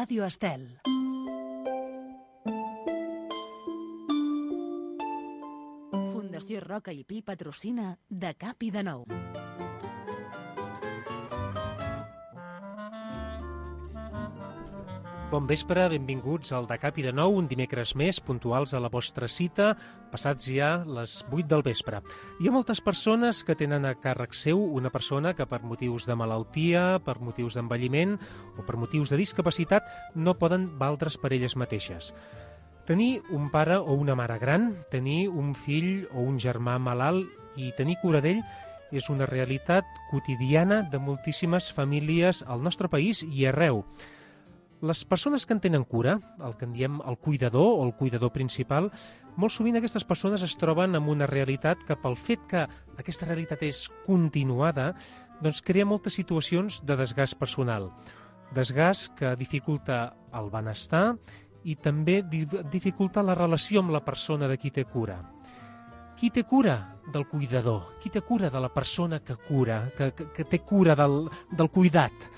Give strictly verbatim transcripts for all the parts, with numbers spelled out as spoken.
Ràdio Estel. Fundació Roca i Pi patrocina De Cap i de Nou. Bon vespre, benvinguts al De Cap i de Nou, un dimecres més, puntuals a la vostra cita, passats ja les vuit del vespre. Hi ha moltes persones que tenen a càrrec seu una persona que per motius de malaltia, per motius d'envelliment o per motius de discapacitat no poden valdre's per elles mateixes. Tenir un pare o una mare gran, tenir un fill o un germà malalt i tenir cura d'ell és una realitat quotidiana de moltíssimes famílies al nostre país i arreu. Les persones que en tenen cura, el que en diem el cuidador o el cuidador principal, molt sovint aquestes persones es troben amb una realitat que pel fet que aquesta realitat és continuada, doncs crea moltes situacions de desgast personal. Desgast que dificulta el benestar i també dificulta la relació amb la persona de qui té cura. Qui té cura del cuidador? Qui té cura de la persona que cura, que, que, que té cura del, del cuidat?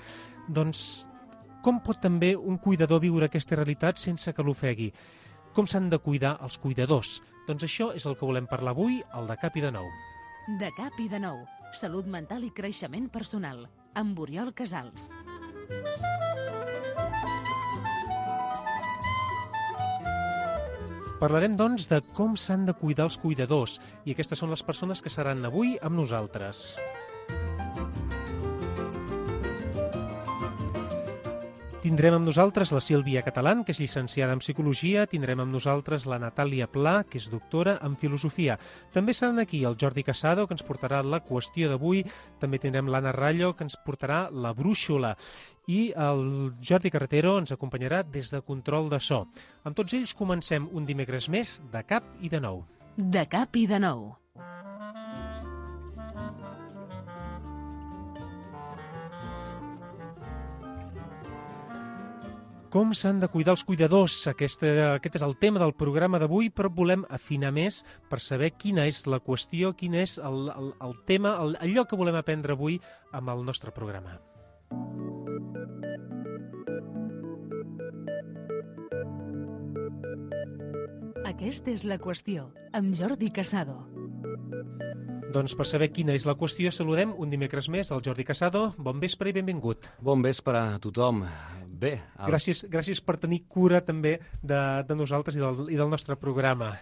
Doncs com pot també un cuidador viure aquesta realitat sense que l'ofegui? Com s'han de cuidar els cuidadors? Doncs això és el que volem parlar avui al De Cap i de Nou. De Cap i de Nou. Salut mental i creixement personal. Amb Oriol Casals. Parlarem, doncs, de com s'han de cuidar els cuidadors. I aquestes són les persones que seran avui amb nosaltres. Tindrem amb nosaltres la Sílvia Catalán, que és llicenciada en Psicologia, tindrem amb nosaltres la Natàlia Pla, que és doctora en Filosofia. També seran aquí el Jordi Casado, que ens portarà la qüestió d'avui, també tindrem l'Anna Rallo, que ens portarà la brúixola, i el Jordi Carretero ens acompanyarà des de control de so. Amb tots ells comencem un dimecres més de Cap i de Nou. De Cap i de Nou. Com s'han de cuidar els cuidadors? Aquest, aquest és el tema del programa d'avui, però volem afinar més per saber quina és la qüestió, quin és el, el, el tema, el, allò que volem aprendre avui amb el nostre programa. Aquesta és la qüestió, amb Jordi Casado. Doncs per saber quina és la qüestió, saludem un dimecres més al Jordi Casado. Bon vespre i benvingut. Bon vespre a tothom. Bé. El... Gràcies, gràcies per tenir cura també de, de nosaltres i del, i del nostre programa.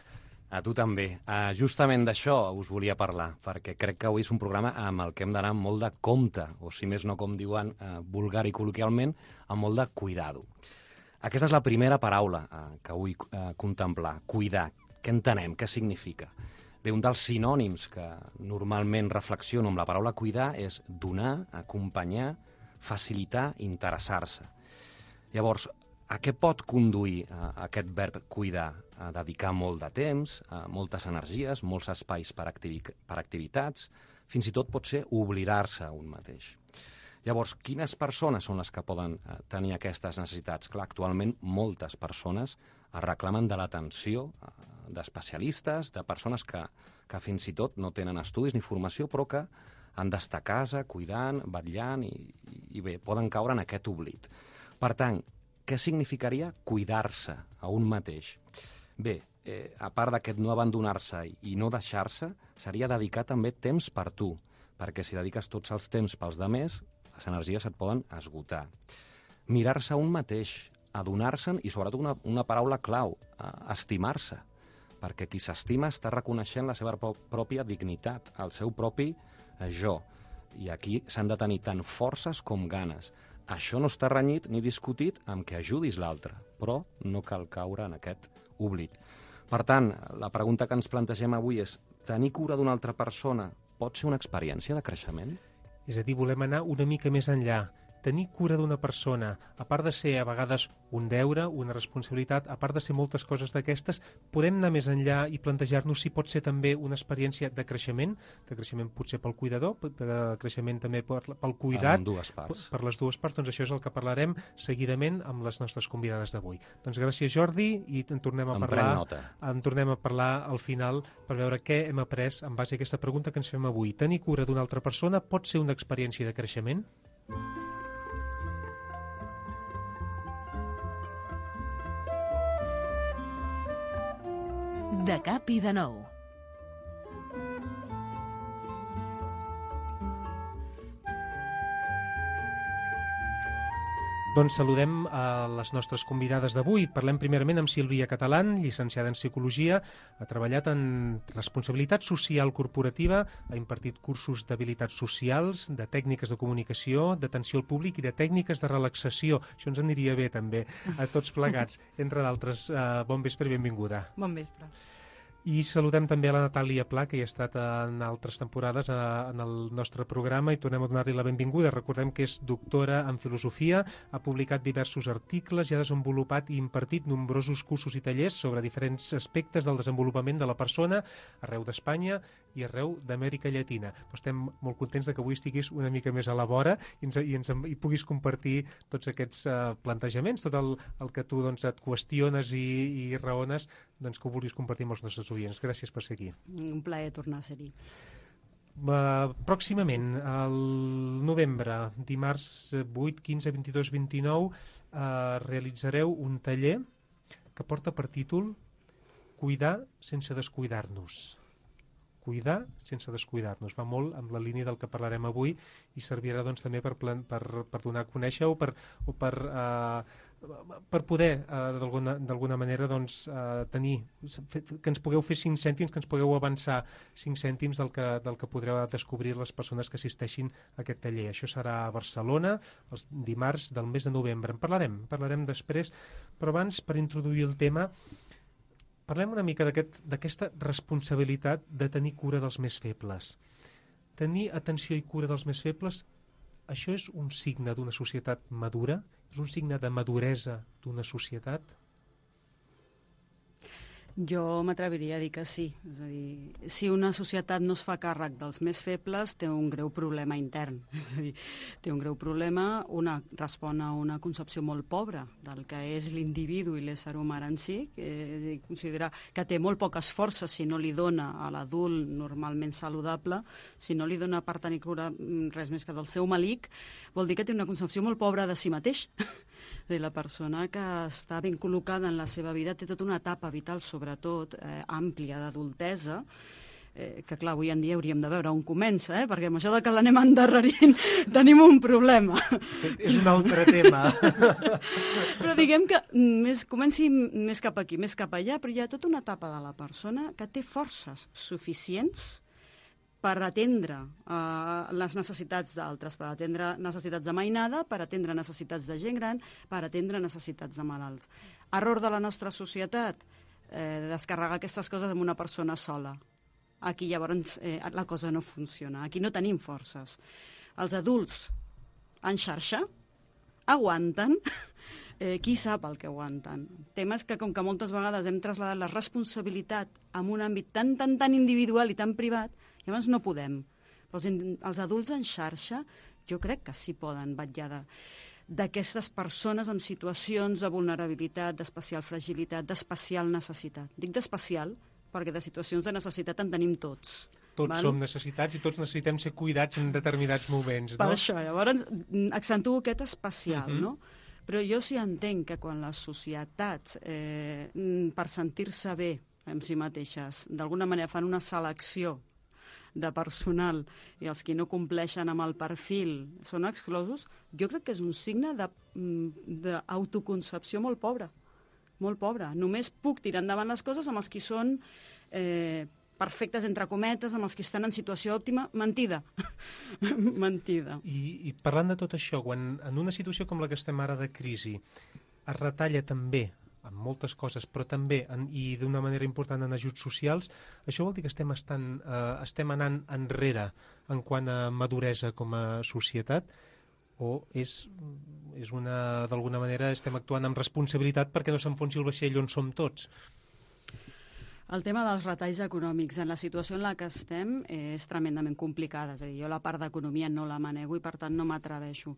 A tu també. Uh, justament d'això us volia parlar, perquè crec que avui és un programa amb el que hem d'anar molt de compte, o si més no, com diuen uh, vulgar i col·loquialment, amb molt de cuidado. Aquesta és la primera paraula uh, que vull uh, contemplar, cuidar. Què entenem? Què significa? Bé, un dels sinònims que normalment reflexiono amb la paraula cuidar és donar, acompanyar, facilitar, interessar-se. Llavors, a què pot conduir uh, aquest verb cuidar? A dedicar molt de temps, uh, moltes energies, molts espais per, activi per activitats, fins i tot pot ser oblidar-se un mateix. Llavors, quines persones són les que poden uh, tenir aquestes necessitats? Clar, actualment moltes persones es reclamen de l'atenció uh, d'especialistes, de persones que, que fins i tot no tenen estudis ni formació, però que han d'estar a casa, cuidant, vetllant, i, i bé, poden caure en aquest oblit. Per tant, què significaria cuidar-se a un mateix? Bé, eh, a part d'aquest no abandonar-se i no deixar-se, seria dedicar també temps per tu, perquè si dediques tots els temps pels demés, les energies et poden esgotar. Mirar-se a un mateix, adonar-se'n i sobretot una, una paraula clau, eh, estimar-se, perquè qui s'estima està reconeixent la seva pròpia dignitat, el seu propi eh, jo. I aquí s'han de tenir tant forces com ganes. Això no està renyit ni discutit amb que ajudis l'altre, però no cal caure en aquest oblit. Per tant, la pregunta que ens plantegem avui és: tenir cura d'una altra persona pot ser una experiència de creixement? És a dir, volem anar una mica més enllà. Tenir cura d'una persona, a part de ser a vegades un deure, una responsabilitat, a part de ser moltes coses d'aquestes, podem anar més enllà i plantejar-nos si pot ser també una experiència de creixement, de creixement potser pel cuidador, de creixement també per, pel cuidat, dues parts. per les dues parts. Doncs això és el que parlarem seguidament amb les nostres convidades d'avui. Doncs gràcies, Jordi, i en tornem a em parlar en tornem a parlar al final per veure què hem après en base a aquesta pregunta que ens fem avui. Tenir cura d'una altra persona pot ser una experiència de creixement? De cap i de nou. Doncs saludem a les nostres convidades d'avui. Parlem primerament amb Sílvia Catalán, llicenciada en Psicologia, ha treballat en responsabilitat social corporativa, ha impartit cursos d'habilitats socials, de tècniques de comunicació, d'atenció al públic i de tècniques de relaxació. Això ens aniria bé també a tots plegats. Entre d'altres, uh, bon vespre i benvinguda. Bon vespre. I saludem també a la Natàlia Pla, que hi ha estat en altres temporades a, en el nostre programa, i tornem a donar-li la benvinguda. Recordem que és doctora en filosofia, ha publicat diversos articles i ha desenvolupat i impartit nombrosos cursos i tallers sobre diferents aspectes del desenvolupament de la persona arreu d'Espanya i arreu d'Amèrica Llatina. Però estem molt contents de que avui estiguis una mica més a la vora i, ens, i, ens, i puguis compartir tots aquests uh, plantejaments, tot el, el que tu doncs, et qüestiones i, i raones, doncs, que ho vulguis compartir amb els nostres oients. Gràcies per ser aquí. Un plaer tornar a ser-hi. Uh, pròximament, al novembre, dimarts vuit, quinze, vint-i-dos, vint-i-nou, uh, realitzareu un taller que porta per títol Cuidar sense descuidar-nos. Cuidar sense descuidar-nos. Va molt amb la línia del que parlarem avui i servirà doncs, també per, plan, per, per donar a conèixer o per, o per, uh, per poder uh, d'alguna manera doncs, uh, tenir, que ens pugueu fer cinc cèntims, que ens pugueu avançar cinc cèntims del que, del que podreu descobrir les persones que assisteixin a aquest taller. Això serà a Barcelona els dimarts del mes de novembre. En parlarem, parlarem després, però abans, per introduir el tema, parlem una mica d'aquesta aquest, responsabilitat de tenir cura dels més febles. Tenir atenció i cura dels més febles, això és un signe d'una societat madura? És un signe de maduresa d'una societat? Jo m'atreviria a dir que sí. És a dir, si una societat no es fa càrrec dels més febles, té un greu problema intern. És a dir, té un greu problema, una respon a una concepció molt pobra del que és l'individu i l'ésser humà en si, que considera que té molt poques forces si no li dona a l'adult normalment saludable, si no li dona per tenir cura res més que del seu malic, vol dir que té una concepció molt pobra de si mateix. De la persona que està ben col·locada en la seva vida té tota una etapa vital, sobretot eh, àmplia, d'adultesa, eh, que clar, avui en dia hauríem de veure on comença, eh? Perquè amb això de que l'anem endarrerint tenim un problema. És un altre tema. Però diguem que més, comenci més cap aquí, més cap allà, però hi ha tota una etapa de la persona que té forces suficients per atendre uh, les necessitats d'altres, per atendre necessitats de mainada, per atendre necessitats de gent gran, per atendre necessitats de malalts. Error de la nostra societat, eh, descarregar aquestes coses en una persona sola. Aquí llavors eh, la cosa no funciona, aquí no tenim forces. Els adults en xarxa aguanten, eh, qui sap el que aguanten. Temes que com que moltes vegades hem traslladat la responsabilitat en un àmbit tan, tan, tan individual i tan privat, llavors no podem. Però els, els adults en xarxa jo crec que sí poden vetllar d'aquestes persones en situacions de vulnerabilitat, d'especial fragilitat, d'especial necessitat. Dic d'especial perquè de situacions de necessitat en tenim tots. Tots val? som necessitats i tots necessitem ser cuidats en determinats moments, no? Per això, llavors accentuo aquest especial, uh-huh. no? Però jo sí entenc que quan les societats, eh, per sentir-se bé amb si mateixes, d'alguna manera fan una selecció de personal i els que no compleixen amb el perfil són exclosos, jo crec que és un signe d'autoconcepció molt pobra, molt pobra. Només puc tirar endavant les coses amb els que són eh, perfectes, entre cometes, amb els que estan en situació òptima. Mentida. Mentida. I, I parlant de tot això, quan en una situació com la que estem ara de crisi es retalla també en moltes coses, però també, en, i d'una manera important en ajuts socials, això vol dir que estem, estan, eh, estem anant enrere en quant a maduresa com a societat, o és, és una, d'alguna manera estem actuant amb responsabilitat perquè no s'enfonsi el vaixell on som tots? El tema dels retalls econòmics en la situació en la que estem és tremendament complicada. És a dir, jo la part d'economia no la manego i, per tant, no m'atreveixo.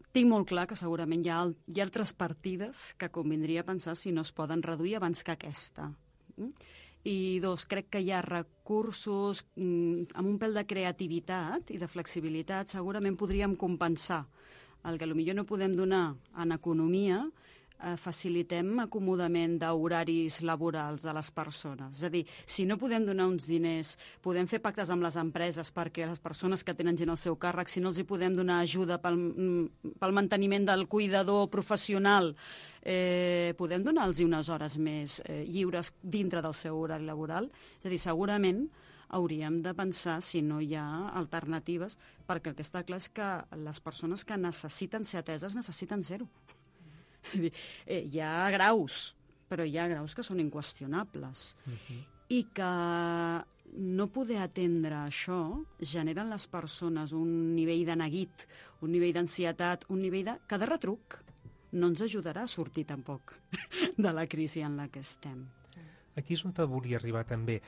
Tinc molt clar que segurament hi ha, hi ha altres partides que convindria pensar si no es poden reduir abans que aquesta. I dos, crec que hi ha recursos amb un pèl de creativitat i de flexibilitat, segurament podríem compensar el que potser no podem donar en economia eh, facilitem acomodament d'horaris laborals a les persones. És a dir, si no podem donar uns diners, podem fer pactes amb les empreses perquè les persones que tenen gent al seu càrrec, si no els hi podem donar ajuda pel, pel manteniment del cuidador professional, eh, podem donar-los unes hores més eh, lliures dintre del seu horari laboral. És a dir, segurament hauríem de pensar si no hi ha alternatives, perquè el que està clar és que les persones que necessiten ser ateses necessiten ser-ho. Eh, hi ha graus, però hi ha graus que són inqüestionables. Uh-huh. I que no poder atendre això genera en les persones un nivell de neguit, un nivell d'ansietat, un nivell de... que de retruc no ens ajudarà a sortir tampoc de la crisi en la que estem. Aquí és on te volia arribar també.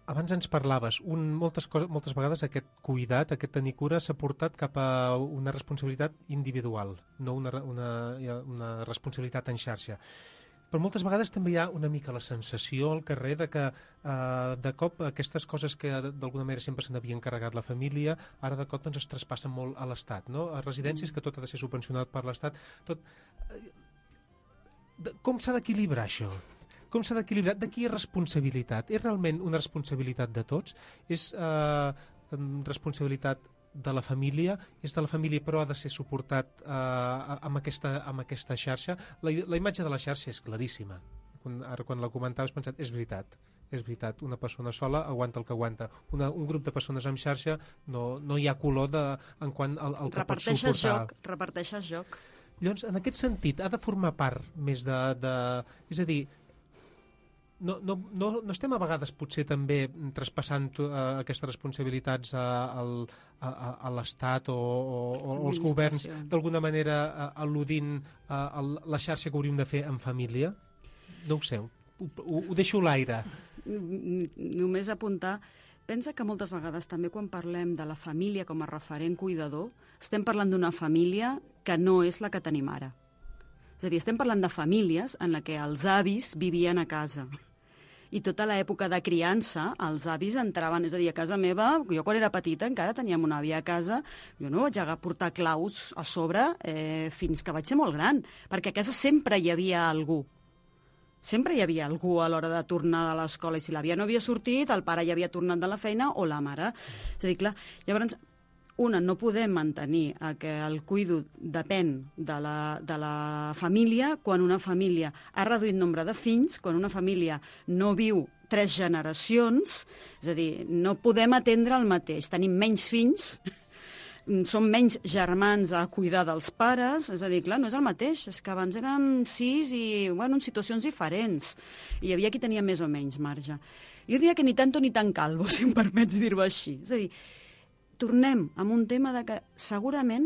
Abans ens parlaves, un, moltes, coses, moltes vegades aquest cuidat, aquest tenir cura s'ha portat cap a una responsabilitat individual, no una, una, una responsabilitat en xarxa. Però moltes vegades també hi ha una mica la sensació al carrer de que eh, de cop aquestes coses que d'alguna manera sempre se n'havia encarregat la família, ara de cop doncs, es traspassen molt a l'Estat, no? A residències que tot ha de ser subvencionat per l'Estat. Tot... Com s'ha d'equilibrar això? Com s'ha d'equilibrar? De qui és responsabilitat? És realment una responsabilitat de tots? És eh, responsabilitat de la família? És de la família però ha de ser suportat eh, amb, aquesta, amb aquesta xarxa? La, la imatge de la xarxa és claríssima. Quan, ara quan la comentaves he pensat, és veritat. És veritat, una persona sola aguanta el que aguanta. Una, un grup de persones amb xarxa no, no hi ha color de, en quant al, al que pot suportar. Joc, reparteixes joc. Llavors, en aquest sentit, ha de formar part més de... de és a dir, No, no, no, no estem a vegades potser també traspassant uh, aquestes responsabilitats a, a, a, a l'Estat o, o, o als governs d'alguna manera uh, al·ludint uh, a la xarxa que hauríem de fer en família? No ho sé, ho, ho, ho deixo a l'aire. Només apuntar, pensa que moltes vegades també quan parlem de la família com a referent cuidador, estem parlant d'una família que no és la que tenim ara. És a dir, estem parlant de famílies en la que els avis vivien a casa. I tota l'època de criança, els avis entraven, és a dir, a casa meva, jo quan era petita encara teníem una àvia a casa, jo no vaig a portar claus a sobre eh, fins que vaig ser molt gran, perquè a casa sempre hi havia algú. Sempre hi havia algú a l'hora de tornar de l'escola, i si l'àvia no havia sortit, el pare ja havia tornat de la feina, o la mare. És a dir, clar, llavors... Una, no podem mantenir que el cuido depèn de la, de la família quan una família ha reduït nombre de fills, quan una família no viu tres generacions, és a dir, no podem atendre el mateix. Tenim menys fills, som menys germans a cuidar dels pares, és a dir, clar, no és el mateix, és que abans eren sis i, bueno, en situacions diferents. I hi havia qui tenia més o menys marge. Jo diria que ni tanto ni tan calvo, si em permets dir-ho així. És a dir, tornem amb un tema de que segurament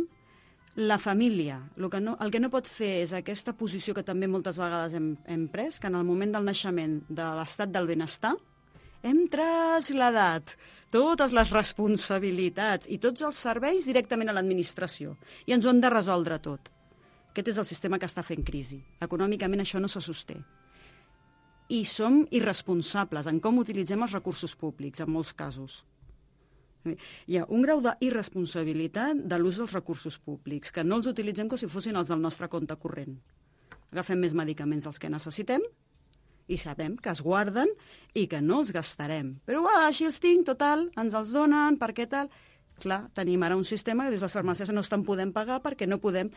la família, el que no, el que no pot fer és aquesta posició que també moltes vegades hem, hem pres, que en el moment del naixement de l'estat del benestar hem traslladat totes les responsabilitats i tots els serveis directament a l'administració i ens ho han de resoldre tot. Aquest és el sistema que està fent crisi. Econòmicament això no se sosté. I som irresponsables en com utilitzem els recursos públics, en molts casos. Hi ha un grau d'irresponsabilitat de l'ús dels recursos públics, que no els utilitzem com si fossin els del nostre compte corrent. Agafem més medicaments dels que necessitem i sabem que es guarden i que no els gastarem. Però ah, així els tinc, total, ens els donen, per què tal? Clar, tenim ara un sistema que dius les farmàcies no estan podent pagar perquè no podem...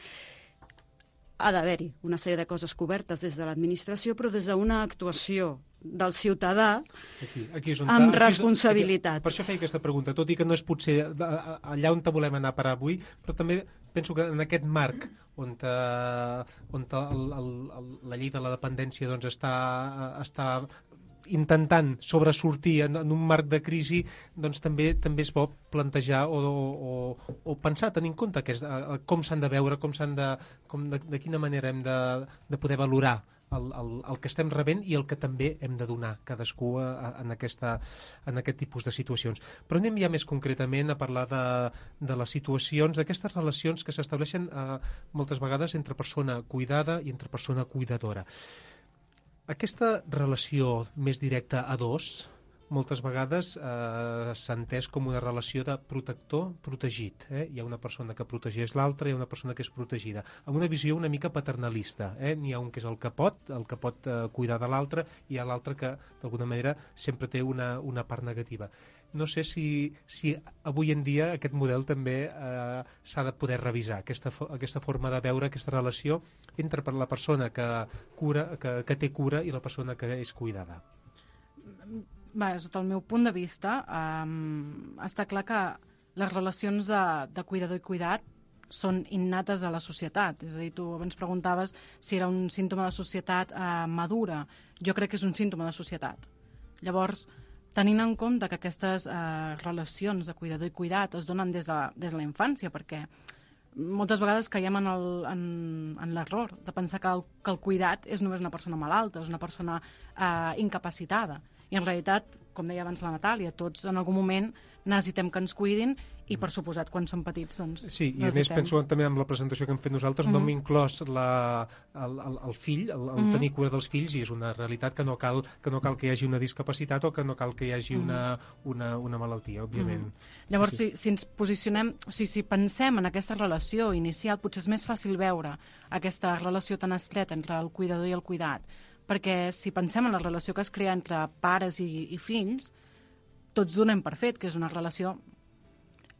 Ha d'haver-hi una sèrie de coses cobertes des de l'administració, però des d'una actuació del ciutadà aquí, aquí on amb ta, responsabilitat. Aquí, per això feia aquesta pregunta, tot i que no és potser allà on te volem anar a parar avui, però també penso que en aquest marc on, te, on te, el, el, el, la llei de la dependència doncs, està, està intentant sobresortir en, en un marc de crisi, doncs també també és bo plantejar o, o, o pensar, tenir en compte que és, com s'han de veure, com s'han de, com de, de quina manera hem de, de poder valorar el, el, el que estem rebent i el que també hem de donar cadascú a, a, en, aquesta, en aquest tipus de situacions. Però anem ja més concretament a parlar de, de les situacions, d'aquestes relacions que s'estableixen eh, moltes vegades entre persona cuidada i entre persona cuidadora. Aquesta relació més directa a dos, moltes vegades eh, s'ha entès com una relació de protector-protegit. Eh? Hi ha una persona que protegeix l'altra, hi ha una persona que és protegida. Amb una visió una mica paternalista. Eh? N'hi ha un que és el que pot, el que pot eh, cuidar de l'altre, i hi ha l'altre que, d'alguna manera, sempre té una, una part negativa. No sé si, si avui en dia aquest model també eh, s'ha de poder revisar, aquesta, aquesta forma de veure aquesta relació entre la persona que, cura, que, que té cura i la persona que és cuidada. Bé, sota el meu punt de vista, um, està clar que les relacions de, de cuidador i cuidat són innates a la societat. És a dir, tu abans preguntaves si era un símptoma de societat eh, madura. Jo crec que és un símptoma de societat. Llavors, tenint en compte que aquestes eh, relacions de cuidador i cuidat es donen des de, des de la infància, perquè moltes vegades caiem en el- en en l'error de pensar que el, que el cuidat és només una persona malalta, és una persona eh, incapacitada. I en realitat, com deia abans la Natàlia, tots en algun moment necessitem que ens cuidin i, per suposat, quan som petits, doncs Sí, i a més necessitem. penso també en la presentació que hem fet nosaltres, Mhm. no hem inclòs la, el, el, el fill, el, el Mhm. tenir cura dels fills, i és una realitat que no cal que, no cal que hi hagi una discapacitat o que no cal que hi hagi una, una, una malaltia, òbviament. Mhm. Llavors, Sí, Si, si ens posicionem, o sigui, si pensem en aquesta relació inicial, potser és més fàcil veure aquesta relació tan estreta entre el cuidador i el cuidat, perquè si pensem en la relació que es crea entre pares i, i fills, tots donem per fet que és una relació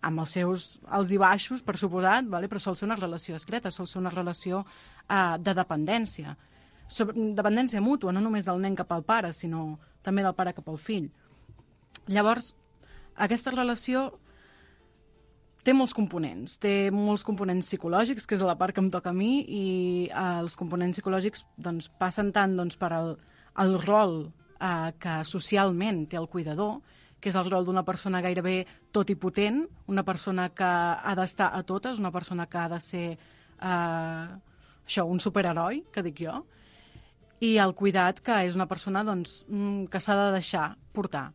amb els seus alts i baixos, per suposat, vale? Però sol ser una relació estreta, sol ser una relació eh, de dependència. Sobre, dependència mútua, no només del nen cap al pare, sinó també del pare cap al fill. Llavors, aquesta relació té molts components. Té molts components psicològics, que és la part que em toca a mi, i eh, els components psicològics doncs, passen tant doncs, per el, el rol eh, que socialment té el cuidador, que és el rol d'una persona gairebé totipotent, una persona que ha d'estar a totes, una persona que ha de ser eh, això, un superheroi, que dic jo, i el cuidat, que és una persona doncs, mm, que s'ha de deixar portar.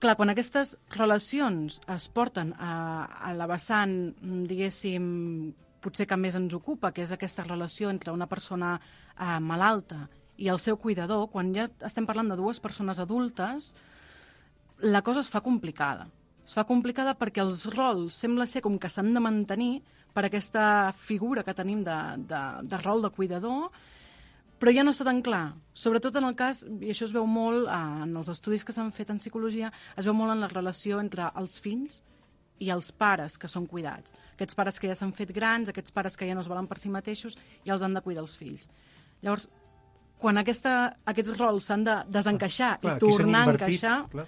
Clar, quan aquestes relacions es porten a, a la vessant, mm, diguéssim, potser que més ens ocupa, que és aquesta relació entre una persona eh, malalta i el seu cuidador, quan ja estem parlant de dues persones adultes, la cosa es fa complicada. Es fa complicada perquè els rols sembla ser com que s'han de mantenir per aquesta figura que tenim de, de, de rol de cuidador, però ja no està tan clar. Sobretot en el cas, i això es veu molt eh, en els estudis que s'han fet en psicologia, es veu molt en la relació entre els fills i els pares que són cuidats. Aquests pares que ja s'han fet grans, aquests pares que ja no es volen per si mateixos, ja els han de cuidar els fills. Llavors, quan aquesta, aquests rols s'han de desencaixar Clar, i aquí s'han tornar a invertit, encaixar, clar.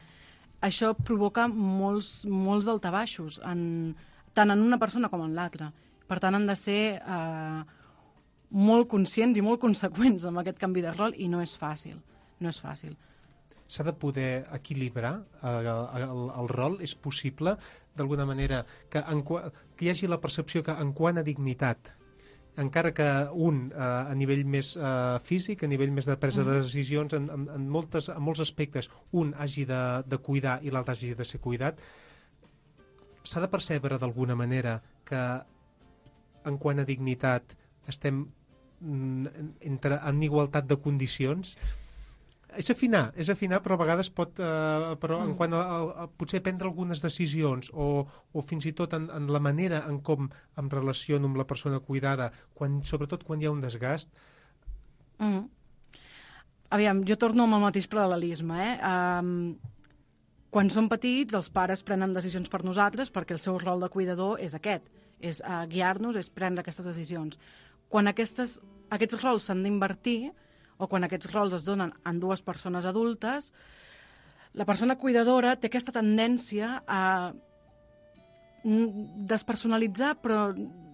això provoca molts, molts daltabaixos, en, tant en una persona com en l'altra. Per tant, han de ser eh, molt conscients i molt conseqüents amb aquest canvi de rol, i no és fàcil. No és fàcil. S'ha de poder equilibrar eh, el, el rol. És possible, d'alguna manera, que, en, qua- que hi hagi la percepció que en quant a dignitat, encara que un eh, a nivell més eh, físic, a nivell més de presa de decisions, en, en, en, moltes, en molts aspectes, un hagi de, de cuidar i l'altre hagi de ser cuidat, s'ha de percebre d'alguna manera que en quant a dignitat estem mm, entre, en igualtat de condicions. És afinar, és afinar, però a vegades pot, eh, però en quant a, a, a potser prendre algunes decisions o, o fins i tot en, en la manera en com em relaciono amb la persona cuidada, quan, sobretot quan hi ha un desgast. Mm. Aviam, jo torno amb el mateix paral·lelisme, eh? Um, quan som petits, els pares prenen decisions per nosaltres perquè el seu rol de cuidador és aquest, és uh, guiar-nos, és prendre aquestes decisions. Quan aquestes, aquests rols s'han d'invertir, o quan aquests rols es donen en dues persones adultes, la persona cuidadora té aquesta tendència a despersonalitzar, però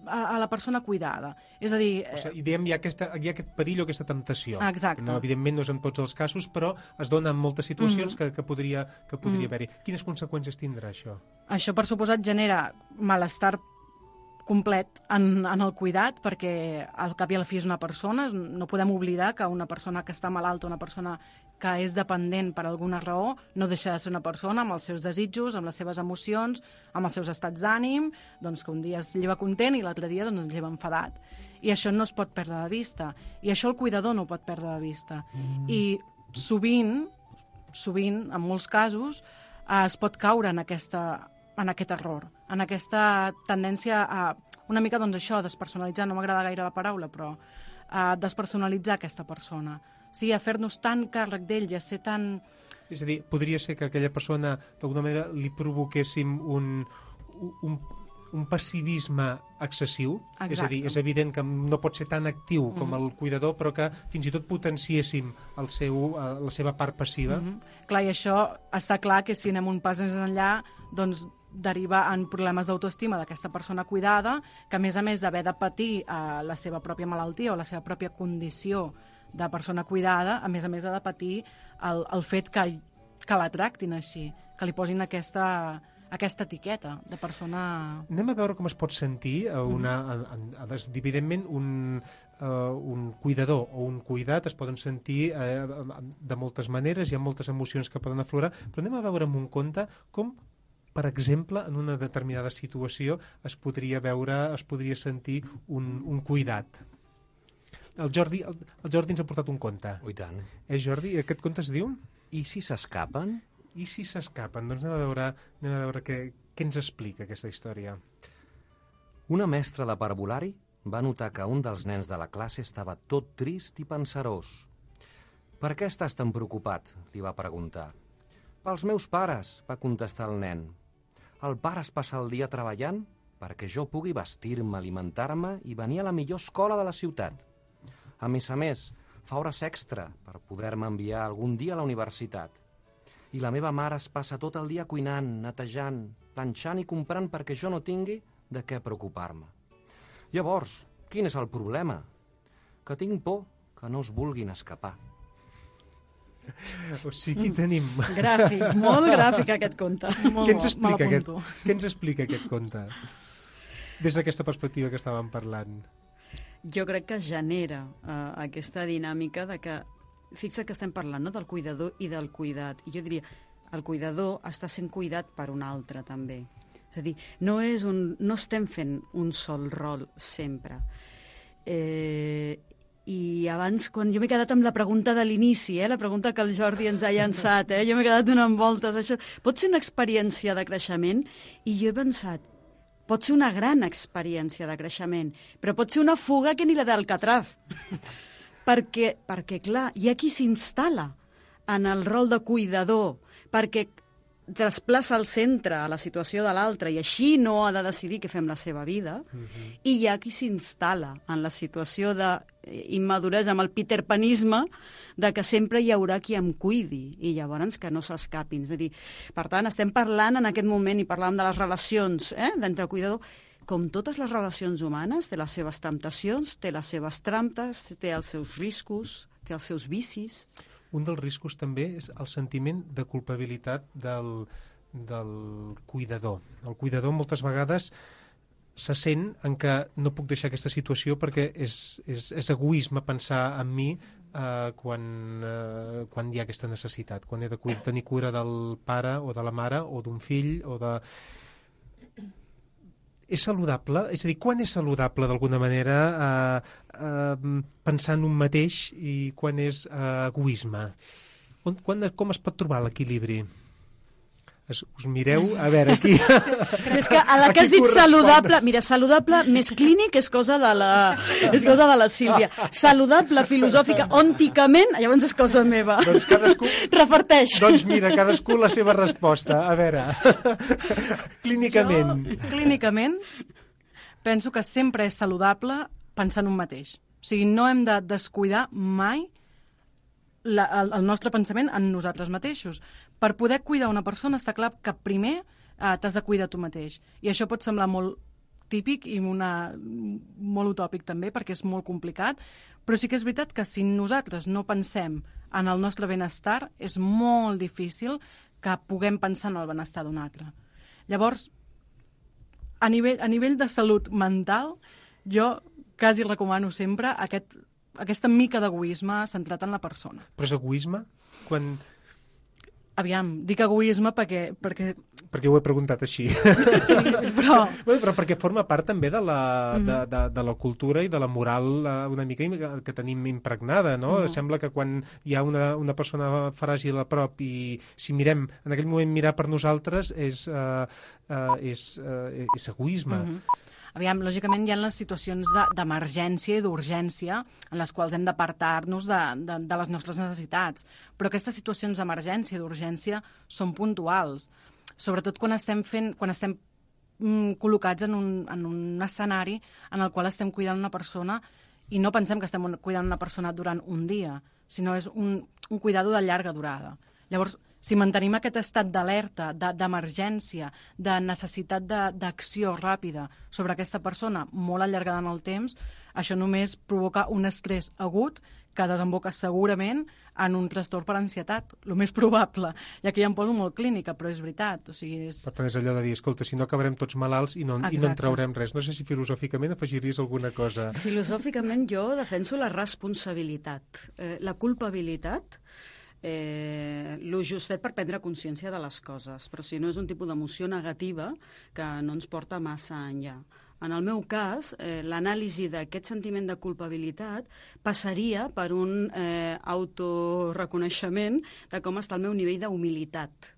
a, a la persona cuidada. És a dir... O sigui, diem, hi ha, aquesta, hi ha aquest perill o aquesta temptació. Exacte. No, evidentment no és en tots els casos, però es dona en moltes situacions Mhm. que, que podria, que podria Mhm. haver-hi. Quines conseqüències tindrà això? Això, per suposat, genera malestar complet en, en el cuidat, perquè al cap i a la fi és una persona. No podem oblidar que una persona que està malalta, una persona que és dependent per alguna raó, no deixa de ser una persona amb els seus desitjos, amb les seves emocions, amb els seus estats d'ànim, doncs que un dia es lleva content i l'altre dia doncs, es lleva enfadat. I això no es pot perdre de vista. I això el cuidador no ho pot perdre de vista. Mm. I sovint, sovint, en molts casos, eh, es pot caure en, aquesta, en aquest error, en aquesta tendència a una mica, doncs això, despersonalitzar, no m'agrada gaire la paraula, però a despersonalitzar aquesta persona. Sí, a fer-nos tan càrrec d'ell i a ser tan... És a dir, podria ser que aquella persona, d'alguna manera, li provoquéssim un, un, un passivisme excessiu. Exacte. És a dir, és evident que no pot ser tan actiu com Mm-hmm. el cuidador, però que fins i tot potenciéssim el seu, eh, la seva part passiva. Mm-hmm. Clar, i això està clar que si anem un pas més enllà, doncs deriva en problemes d'autoestima d'aquesta persona cuidada, que a més a més d'haver de patir eh, la seva pròpia malaltia o la seva pròpia condició de persona cuidada, a més a més ha de patir el, el fet que, que la tractin així, que li posin aquesta, aquesta etiqueta de persona... Anem a veure com es pot sentir a una, a, a, a, evidentment un, uh, un cuidador o un cuidat es poden sentir uh, de moltes maneres, hi ha moltes emocions que poden aflorar, però anem a veure amb un conte com, per exemple, en una determinada situació es podria veure, es podria sentir un, un cuidat. El Jordi, el, el Jordi ens ha portat un conte. Ui, tant. Eh, Jordi? Aquest conte es diu? I si s'escapen? I si s'escapen? Doncs anem a veure, anem a veure què, què ens explica aquesta història. Una mestra de parvulari va notar que un dels nens de la classe estava tot trist i pensarós. «Per què estàs tan preocupat?», li va preguntar. «Pels meus pares», va contestar el nen. «El pare es passa el dia treballant perquè jo pugui vestir-me, alimentar-me i venir a la millor escola de la ciutat. A més a més, fa hores extra per poder-me enviar algun dia a la universitat. I la meva mare es passa tot el dia cuinant, netejant, planxant i comprant perquè jo no tingui de què preocupar-me. Llavors, quin és el problema? Que tinc por que no es vulguin escapar». O sigui, tenim... Gràfic, molt gràfic aquest conte. Molt Què ens bo, me explica aquest, l'apunto. què ens explica aquest conte? Des d'aquesta perspectiva que estàvem parlant. Jo crec que genera uh, aquesta dinàmica de que, fixa que estem parlant, no?, del cuidador i del cuidat. I jo diria, el cuidador està sent cuidat per un altre, també. És a dir, no, és un, no estem fent un sol rol sempre. Eh, I abans, quan jo m'he quedat amb la pregunta de l'inici, eh, la pregunta que el Jordi ens ha llançat, eh, jo m'he quedat donant voltes. Això pot ser una experiència de creixement? I jo he pensat, pot ser una gran experiència de creixement, però pot ser una fuga que ni la d'Alcatraz. perquè, perquè, clar, hi ha qui s'instal·la en el rol de cuidador, perquè desplaça el centre a la situació de l'altre i així no ha de decidir què fem la seva vida, uh-huh. I hi ha qui s'instal·la en la situació d'immaduresa, amb el peterpanisme, de que sempre hi haurà qui em cuidi i llavors que no s'escapin. És a dir, per tant, estem parlant en aquest moment, i parlàvem de les relacions eh, d'entre cuidador, com totes les relacions humanes, té les seves temptacions, té les seves trampes, té els seus riscos, té els seus vicis. Un dels riscos també és el sentiment de culpabilitat del, del cuidador. El cuidador moltes vegades se sent en què no puc deixar aquesta situació perquè és, és, és egoisme pensar en mi eh, quan, eh, quan hi ha aquesta necessitat, quan he de cu- tenir cura del pare o de la mare o d'un fill o de... És saludable? És a dir, quan és saludable d'alguna manera eh, eh, pensar en un mateix i quan és eh, egoisme? On, quan, com es pot trobar l'equilibri? Es, us mireu, a veure, aquí... Però és que a la que has dit saludable... Mira, saludable més clínic és cosa de la, és cosa de la Sílvia. Saludable, filosòfica, ònticament, llavors és cosa meva. Doncs cadascú... Reparteix. Doncs mira, cadascú la seva resposta. A veure, clínicament... Jo, clínicament, penso que sempre és saludable pensar en un mateix. O sigui, no hem de descuidar mai la, el, el nostre pensament en nosaltres mateixos. Per poder cuidar una persona està clar que primer eh, t'has de cuidar tu mateix. I això pot semblar molt típic i una, molt utòpic també, perquè és molt complicat, però sí que és veritat que si nosaltres no pensem en el nostre benestar, és molt difícil que puguem pensar en el benestar d'un altre. Llavors, a nivell, a nivell de salut mental, jo quasi recomano sempre aquest, aquesta mica d'egoisme centrat en la persona. Però és egoisme? Quan... Aviam, dic egoisme perquè... perquè... perquè ho he preguntat així. Sí, però... Bé, però perquè forma part també de la, Mm. de, de, de la cultura i de la moral eh, una mica im- que tenim impregnada, no? Mm. Sembla que quan hi ha una, una persona fràgil a prop i si mirem, en aquell moment mirar per nosaltres és, eh, eh, és, eh, és egoisme. Mhm. Aviam, lògicament hi ha les situacions de- d'emergència i d'urgència en les quals hem d'apartar-nos de, de, de les nostres necessitats. Però aquestes situacions d'emergència i d'urgència són puntuals. Sobretot quan estem fent, quan estem mm, col·locats en un, en un escenari en el qual estem cuidant una persona i no pensem que estem un- cuidant una persona durant un dia, sinó és un, un cuidado de llarga durada. Llavors, si mantenim aquest estat d'alerta, de- d'emergència, de necessitat de- d'acció ràpida sobre aquesta persona molt allargada en el temps, això només provoca un estrès agut que desemboca segurament en un trastorn per ansietat, el més probable. I aquí ja em poso molt clínica, però és veritat. O sigui, és... Per tant, és allò de dir, escolta, si no acabarem tots malalts i no, i no en Exacte. traurem res. No sé si filosòficament afegiries alguna cosa. Filosòficament jo defenso la responsabilitat. Eh, la culpabilitat, eh, lo justet per prendre consciència de les coses, però si no és un tipus d'emoció negativa que no ens porta massa enllà. En el meu cas, eh, l'anàlisi d'aquest sentiment de culpabilitat passaria per un eh, autoreconeixement de com està el meu nivell d'humilitat.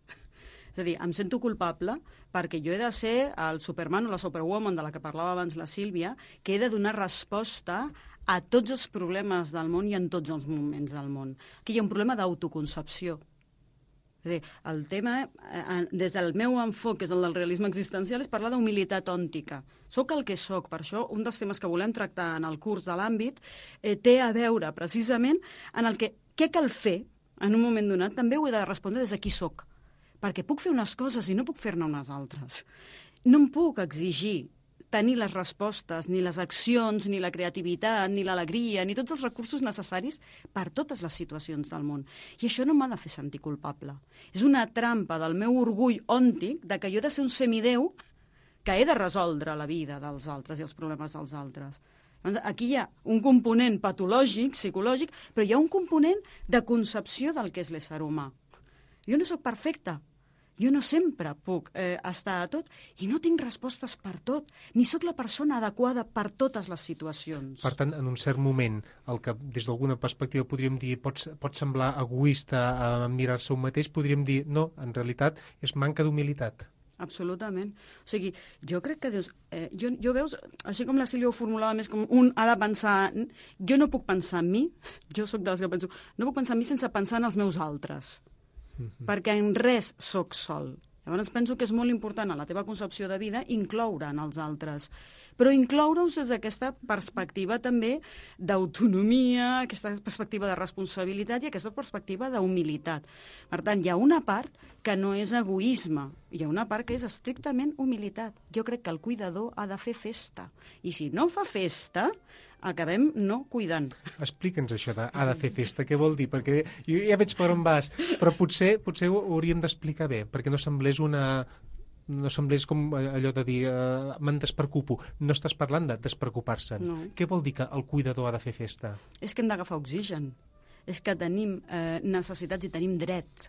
És a dir, em sento culpable perquè jo he de ser el Superman o la Superwoman de la que parlava abans la Sílvia, que he de donar resposta a tots els problemes del món i en tots els moments del món. Aquí hi ha un problema d'autoconcepció. És a dir, el tema, eh, des del meu enfoc, que és el del realisme existencial, és parlar d'humilitat òntica. Soc el que soc, per això un dels temes que volem tractar en el curs de l'àmbit eh, té a veure precisament en el que què cal fer en un moment donat, també ho he de respondre des de qui soc, perquè puc fer unes coses i no puc fer-ne unes altres. No em puc exigir tenir les respostes, ni les accions, ni la creativitat, ni l'alegria, ni tots els recursos necessaris per totes les situacions del món. I això no m'ha de fer sentir culpable. És una trampa del meu orgull òntic de que jo he de ser un semidéu que he de resoldre la vida dels altres i els problemes dels altres. Aquí hi ha un component patològic, psicològic, però hi ha un component de concepció del que és l'ésser humà. Jo no sóc perfecta. Jo no sempre puc eh, estar a tot i no tinc respostes per tot, ni sóc la persona adequada per totes les situacions. Per tant, en un cert moment, el que des d'alguna perspectiva podríem dir pot, pot semblar egoista a mirar-se un mateix, podríem dir, no, en realitat és manca d'humilitat. Absolutament. O sigui, jo crec que dius, eh, jo, jo veus, així com la Sílvia ho formulava més com un ha de pensar, jo no puc pensar en mi, jo sóc de les que penso, no puc pensar en mi sense pensar en els meus altres. Mm-hmm. Perquè en res sóc sol. Llavors penso que és molt important a la teva concepció de vida incloure en els altres, però incloure-us des d'aquesta perspectiva també d'autonomia, aquesta perspectiva de responsabilitat i aquesta perspectiva d'humilitat. Per tant, hi ha una part que no és egoisme, hi ha una part que és estrictament humilitat. Jo crec que el cuidador ha de fer festa, i si no fa festa, acabem no cuidant. Explica'ns això de ha de fer festa, què vol dir? Perquè jo ja veig per on vas, però potser potser ho hauríem d'explicar bé, perquè no semblés una... no semblés com allò de dir uh, me'n despreocupo. No estàs parlant de despreocupar-se'n. No. Què vol dir que el cuidador ha de fer festa? És que hem d'agafar oxigen. És que tenim eh, necessitats i tenim drets.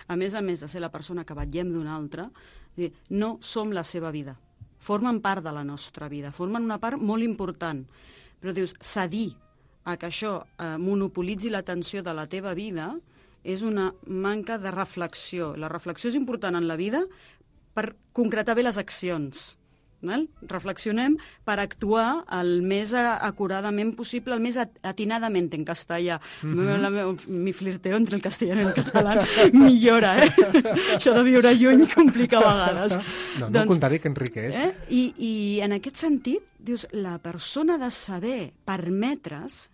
A més a més de ser la persona que vetllem d'una altra, dir, no som la seva vida. Formen part de la nostra vida, formen una part molt important. Però dius, cedir a que això eh, monopolitzi l'atenció de la teva vida és una manca de reflexió. La reflexió és important en la vida per concretar bé les accions. Val? Reflexionem per actuar el més acuradament possible, el més atinadament en castellà. Mm-hmm. la meu, mi flirteo entre el castellà i el català millora, eh? Això de viure lluny complica a vegades. No, no doncs, contrari, que enriqueix. Eh? I, I en aquest sentit, dius, la persona ha de saber permetre's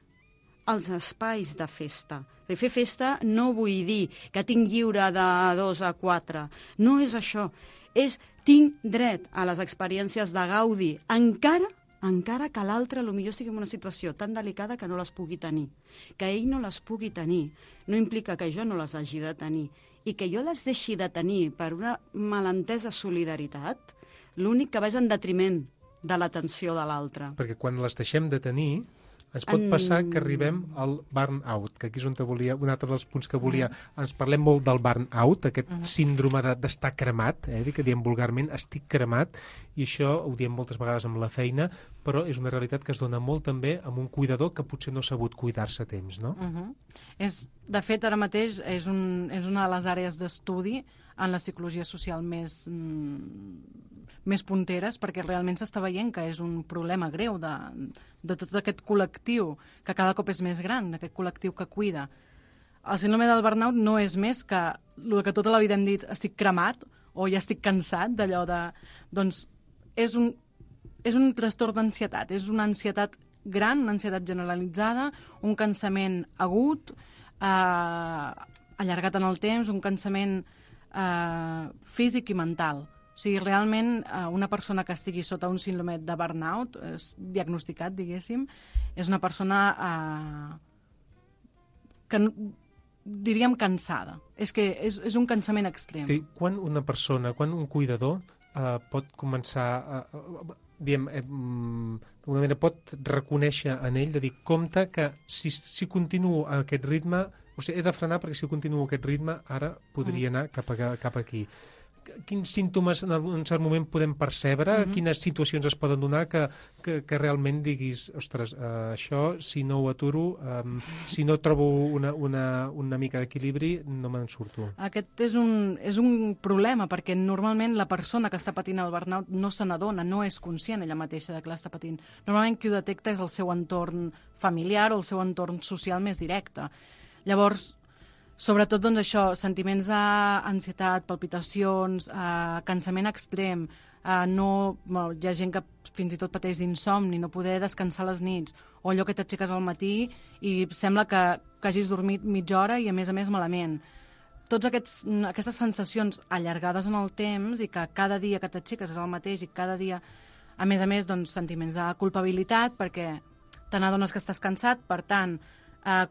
els espais de festa. De fer festa no vull dir que tinc lliure de dos a quatre. No és això. És tinc dret a les experiències de gaudi, encara, encara que l'altre potser estigui en una situació tan delicada que no les pugui tenir. Que ell no les pugui tenir no implica que jo no les hagi de tenir. I que jo les deixi de tenir per una malentesa solidaritat, l'únic que va és en detriment de l'atenció de l'altre. Perquè quan les deixem de tenir, ens pot En- passar que arribem al burn-out, que aquí és on te volia, un altre dels punts que volia. Ens parlem molt del burn-out, aquest síndrome de- d'estar cremat, eh, que diem vulgarment, estic cremat, i això ho diem moltes vegades amb la feina, però és una realitat que es dona molt també amb un cuidador que potser no ha sabut cuidar-se a temps, no? Uh -huh. és, de fet, ara mateix és, un, és una de les àrees d'estudi en la psicologia social més, mm, més punteres, perquè realment s'està veient que és un problema greu de, de tot aquest col·lectiu, que cada cop és més gran, d'aquest col·lectiu que cuida. El síndrome del burnout no és més que el que tota la vida hem dit, estic cremat, o ja estic cansat d'allò de... Doncs és un, és un trastorn d'ansietat, és una ansietat gran, una ansietat generalitzada, un cansament agut, eh, allargat en el temps, un cansament eh, físic i mental. O sigui, realment, eh, una persona que estigui sota un síndrome de burnout, és diagnosticat, diguéssim, és una persona eh, que no, diríem cansada. És que és, és un cansament extrem. Sí, quan una persona, quan un cuidador eh, pot començar a... a diem, eh, d'alguna manera pot reconèixer en ell, de dir, compte que si, si continuo a aquest ritme, o sigui, he de frenar perquè si continuo a aquest ritme ara podria anar cap, a, cap aquí. Quins símptomes en un cert moment podem percebre? Uh -huh. Quines situacions es poden donar que, que, que realment diguis, ostres, uh, això, si no ho aturo, um, si no trobo una, una, una mica d'equilibri, no me'n surto. Aquest és un, és un problema, perquè normalment la persona que està patint el burnout no se n'adona, no és conscient ella mateixa de que l'està patint. Normalment qui ho detecta és el seu entorn familiar o el seu entorn social més directe. Llavors, sobretot, doncs, això, sentiments d'ansietat, palpitacions, eh, cansament extrem, eh, no, bueno, hi ha gent que fins i tot pateix d'insomni, no poder descansar les nits, o allò que t'aixeques al matí i sembla que, que hagis dormit mitja hora i, a més a més, malament. Tots aquests, aquestes sensacions allargades en el temps i que cada dia que t'aixeques és el mateix i cada dia, a més a més, doncs, sentiments de culpabilitat perquè te n'adones que estàs cansat, per tant, eh,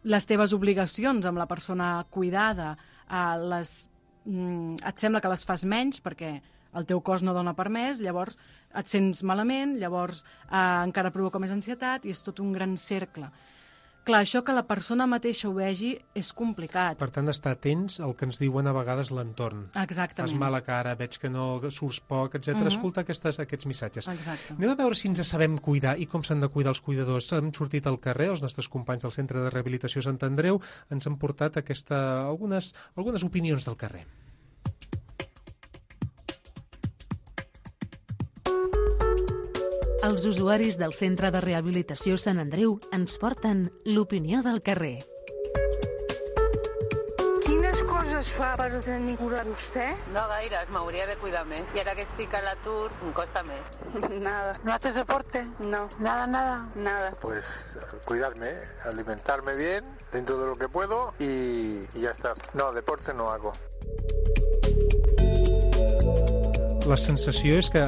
les teves obligacions amb la persona cuidada, eh, les, mm, et sembla que les fas menys perquè el teu cos no dona per més, llavors et sents malament, llavors eh, encara provoca més ansietat i és tot un gran cercle. Clar, això que la persona mateixa ho vegi és complicat. Per tant, estar atents al que ens diuen a vegades l'entorn. Exactament. Fas mala cara, veig que no surts poc, etcètera. Uh-huh. Escolta aquestes, aquests missatges. Exacte. Anem a veure si ens sabem cuidar i com s'han de cuidar els cuidadors. Hem sortit al carrer, els nostres companys del Centre de Rehabilitació Sant Andreu ens han portat aquesta, algunes, algunes opinions del carrer. Els usuaris del Centre de Rehabilitació Sant Andreu ens porten l'opinió del carrer. Quines coses fa per tenir cura vostè? No gaires, m'hauria de cuidar més. I ara que estic a l'atur, em costa més. Nada. ¿No haces deporte? No. Nada, nada. Nada. Pues cuidarme, alimentarme bien dentro de lo que puedo y, y ya está. No, deporte no hago. La sensació és que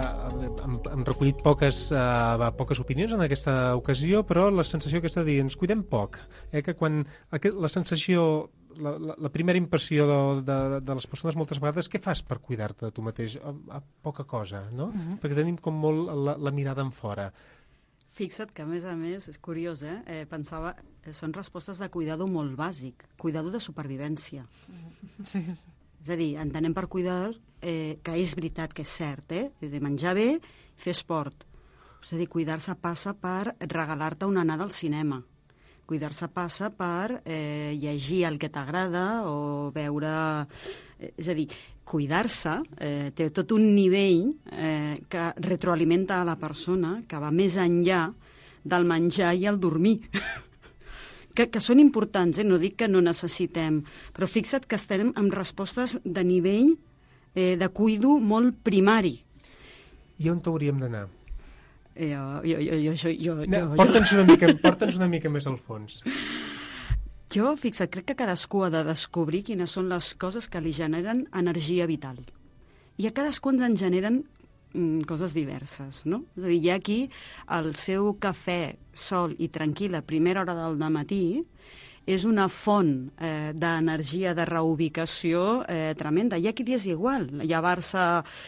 hem, hem recollit poques, uh, poques opinions en aquesta ocasió, però la sensació aquesta de dir, ens cuidem poc. Eh? Que quan aquest, la sensació, la, la, la primera impressió de, de, de les persones moltes vegades, què fas per cuidar-te de tu mateix? A, a poca cosa, no? Uh-huh. Perquè tenim com molt la, la mirada en fora. Fixa't que, a més a més, és curiós, eh? eh pensava, eh, són respostes de cuidado molt bàsic, cuidado de supervivència. Sí. És a dir, entenem per cuidar eh, que és veritat que és cert, eh? De menjar bé, fer esport. És a dir, cuidar-se passa per regalar-te una anada al cinema. Cuidar-se passa per eh, llegir el que t'agrada o veure... Eh, és a dir, cuidar-se eh, té tot un nivell eh, que retroalimenta a la persona, que va més enllà del menjar i el dormir. Que, que són importants, eh? No dic que no necessitem, però fixa't que estem amb respostes de nivell eh, de cuido molt primari. I on t'hauríem d'anar? Eh, jo, jo, jo, jo, jo, No, jo, porta'ns una mica, porta'ns una mica més al fons. jo, fixa't, crec que cadascú ha de descobrir quines són les coses que li generen energia vital. I a cadascú ens en generen mm, coses diverses, no? És a dir, hi ha aquí el seu cafè sol i tranquil a primera hora del dematí és una font eh, d'energia, de reubicació eh, tremenda. Hi ha qui li és igual, llevar-se,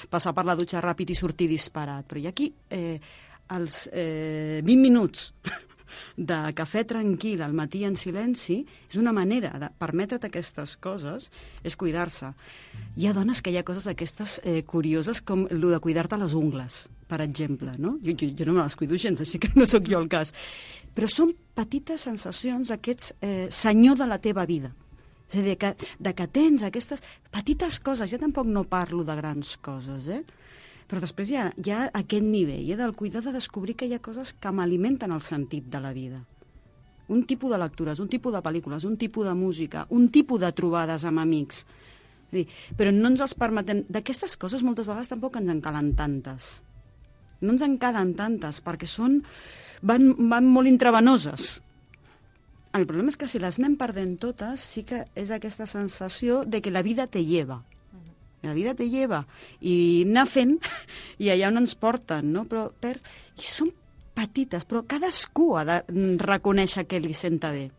passar per la dutxa ràpid i sortir disparat, però hi ha qui eh, els eh, vint minuts de cafè tranquil al matí en silenci és una manera de permetre't aquestes coses, és cuidar-se. Hi ha dones que hi ha coses aquestes eh, curioses com el de cuidar-te les ungles, per exemple, no? Jo, jo, jo no me les cuido gens, així que no sóc jo el cas. Però són petites sensacions d'aquests eh, senyor de la teva vida. És a dir, que, de que tens aquestes petites coses, ja tampoc no parlo de grans coses, eh? Però després hi ha, hi ha aquest nivell eh, del cuidar de descobrir que hi ha coses que m'alimenten el sentit de la vida. Un tipus de lectures, un tipus de pel·lícules, un tipus de música, un tipus de trobades amb amics. És dir, però no ens els permetem... D'aquestes coses moltes vegades tampoc ens en calen tantes. No ens en calen tantes, perquè són... van, van molt intravenoses. El problema és que si les anem perdent totes, sí que és aquesta sensació de que la vida te lleva. La vida te lleva, i anar fent, i allà on ens porten, no? Però perds... I són petites, però cadascú ha de reconèixer que li senta bé.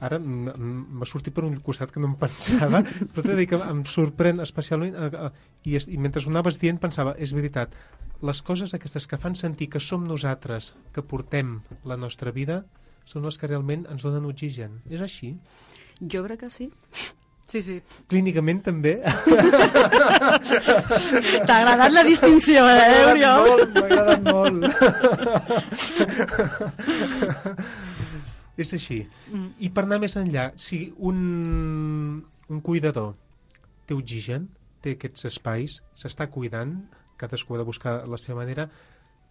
Ara m'ha sortit per un costat que no em pensava, però t'he de dir que em sorprèn especialment, i, i mentre ho anaves dient pensava, és veritat, les coses aquestes que fan sentir que som nosaltres, que portem la nostra vida, són les que realment ens donen oxigen. És així? Jo crec que sí. Sí, sí. Clínicament també. T'ha agradat la distinció, eh, Oriol? M'ha agradat molt, m'ha agradat molt. És així. Mm. I per anar més enllà, si un, un cuidador té oxigen, té aquests espais, s'està cuidant, cadascú ha de buscar la seva manera,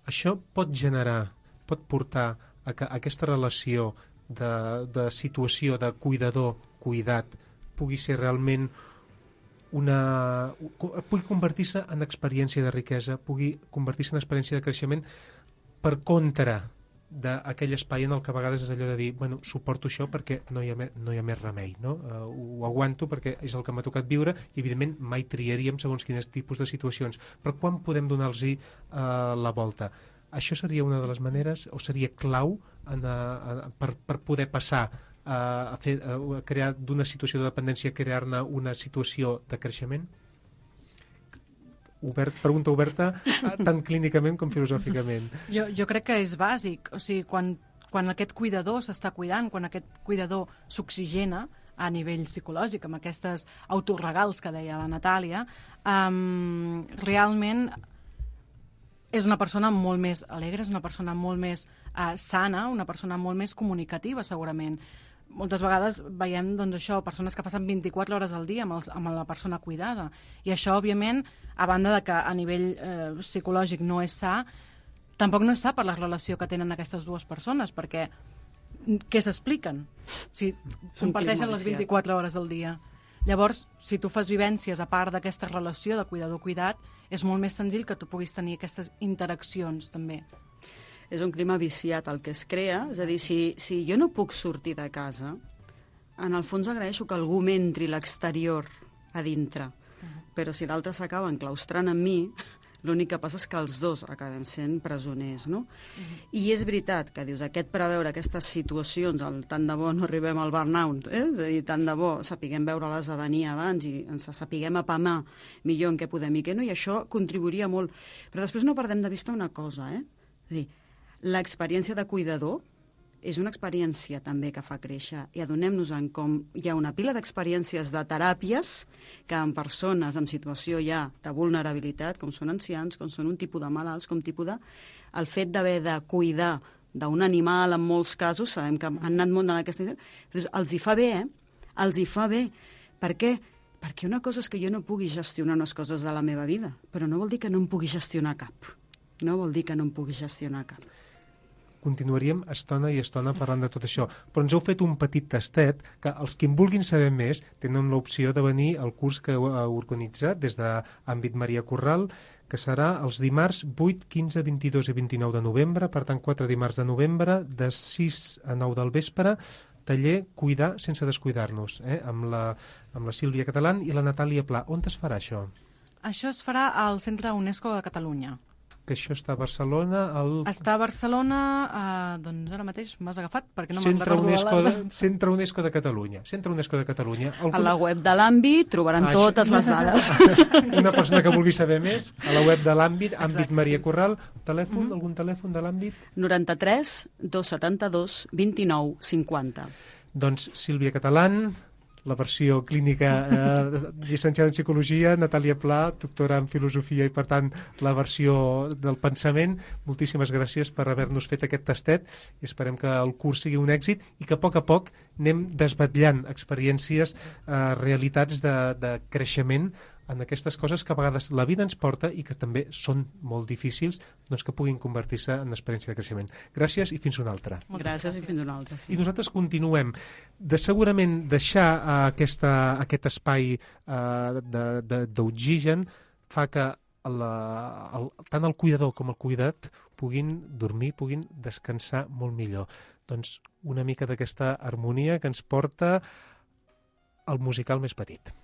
això pot generar, pot portar a que aquesta relació de, de situació de cuidador-cuidat pugui ser realment una... pugui convertir-se en experiència de riquesa, pugui convertir-se en experiència de creixement per contra d'aquell espai en el que a vegades és allò de dir, bueno, suporto això perquè no hi ha, me, no hi ha més remei, no? Uh, ho aguanto perquè és el que m'ha tocat viure i evidentment mai triaríem segons quins tipus de situacions, però quan podem donar-los uh, la volta? Això seria una de les maneres, o seria clau en, uh, per, per poder passar a, fer, a crear d'una situació de dependència, crear-ne una situació de creixement? Obert, pregunta oberta tant clínicament com filosòficament. Jo, jo crec que és bàsic. O sigui, quan, quan aquest cuidador s'està cuidant, quan aquest cuidador s'oxigena a nivell psicològic, amb aquestes autorregals que deia la Natàlia, um, realment és una persona molt més alegre, és una persona molt més uh, sana, una persona molt més comunicativa, segurament. Moltes vegades veiem doncs, això, persones que passen vint-i-quatre hores al dia amb, els, amb la persona cuidada. I això, òbviament, a banda de que a nivell eh, psicològic no és sa, tampoc no és sa per la relació que tenen aquestes dues persones, perquè què s'expliquen? Si comparteixen les vint-i-quatre hores al dia. Llavors, si tu fas vivències a part d'aquesta relació de cuidador-cuidat, és molt més senzill que tu puguis tenir aquestes interaccions, també. És un clima viciat el que es crea, és a dir, si, si jo no puc sortir de casa, en el fons agraeixo que algú m'entri l'exterior a dintre, uh-huh. Però si l'altre s'acaba enclaustrant en mi, l'únic que passa és que els dos acabem sent presoners, no? Uh-huh. I és veritat que dius, aquest preveure aquestes situacions, el, tant de bo no arribem al burnout, eh? És a dir, tant de bo sapiguem veure-les a venir abans i ens sapiguem apamar millor en què podem i què no, i això contribuiria molt. Però després no perdem de vista una cosa, eh? És a dir, l'experiència de cuidador és una experiència també que fa créixer, i adonem-nos-en com hi ha una pila d'experiències de teràpies que en persones en situació ja de vulnerabilitat, com són ancians, com són un tipus de malalts, com tipus de... el fet d'haver de cuidar d'un animal, en molts casos, sabem que han anat molt en aquesta... Però els hi fa bé, eh? Els hi fa bé. Per què? Perquè una cosa és que jo no pugui gestionar unes coses de la meva vida, però no vol dir que no em pugui gestionar cap. No vol dir que no em pugui gestionar cap. Continuaríem estona i estona parlant de tot això, però ens heu fet un petit tastet que els que en vulguin saber més tenen l'opció de venir al curs que heu organitzat des de Àmbit Maria Corral, que serà els dimarts vuit, quinze, vint-i-dos i vint-i-nou de novembre, per tant quatre dimarts de novembre, de sis a nou del vespre, taller Cuidar sense descuidar-nos, eh? amb, la, amb la Sílvia Catalán i la Natàlia Pla. On es farà això? Això es farà al Centre UNESCO de Catalunya. que això està a Barcelona... El... Està a Barcelona, eh, doncs ara mateix m'has agafat, perquè no me'n Centre recordo UNESCO, la... de, Centre UNESCO de Catalunya. Centre UNESCO de Catalunya. Algun... A la web de l'àmbit trobaran Ah, totes les dades. Una persona que vulgui saber més, a la web de l'àmbit, àmbit Exacte. Maria Corral, telèfon, Mhm. algun telèfon de l'àmbit? noranta-tres dos setanta-dos vint-i-nou cinquanta. Doncs Sílvia Catalán, la versió clínica eh, llicenciada en Psicologia, Natàlia Pla, doctora en Filosofia i, per tant, la versió del pensament. Moltíssimes gràcies per haver-nos fet aquest tastet i esperem que el curs sigui un èxit i que a poc a poc anem desvetllant experiències, eh, realitats de, de creixement en aquestes coses que a vegades la vida ens porta i que també són molt difícils, doncs que puguin convertir-se en experiència de creixement. Gràcies i fins una altra. Gràcies i fins una altra. Sí. I nosaltres continuem. De segurament deixar uh, aquesta, aquest espai uh, d'oxigen fa que la, el, tant el cuidador com el cuidat puguin dormir, puguin descansar molt millor. Doncs una mica d'aquesta harmonia que ens porta al musical més petit.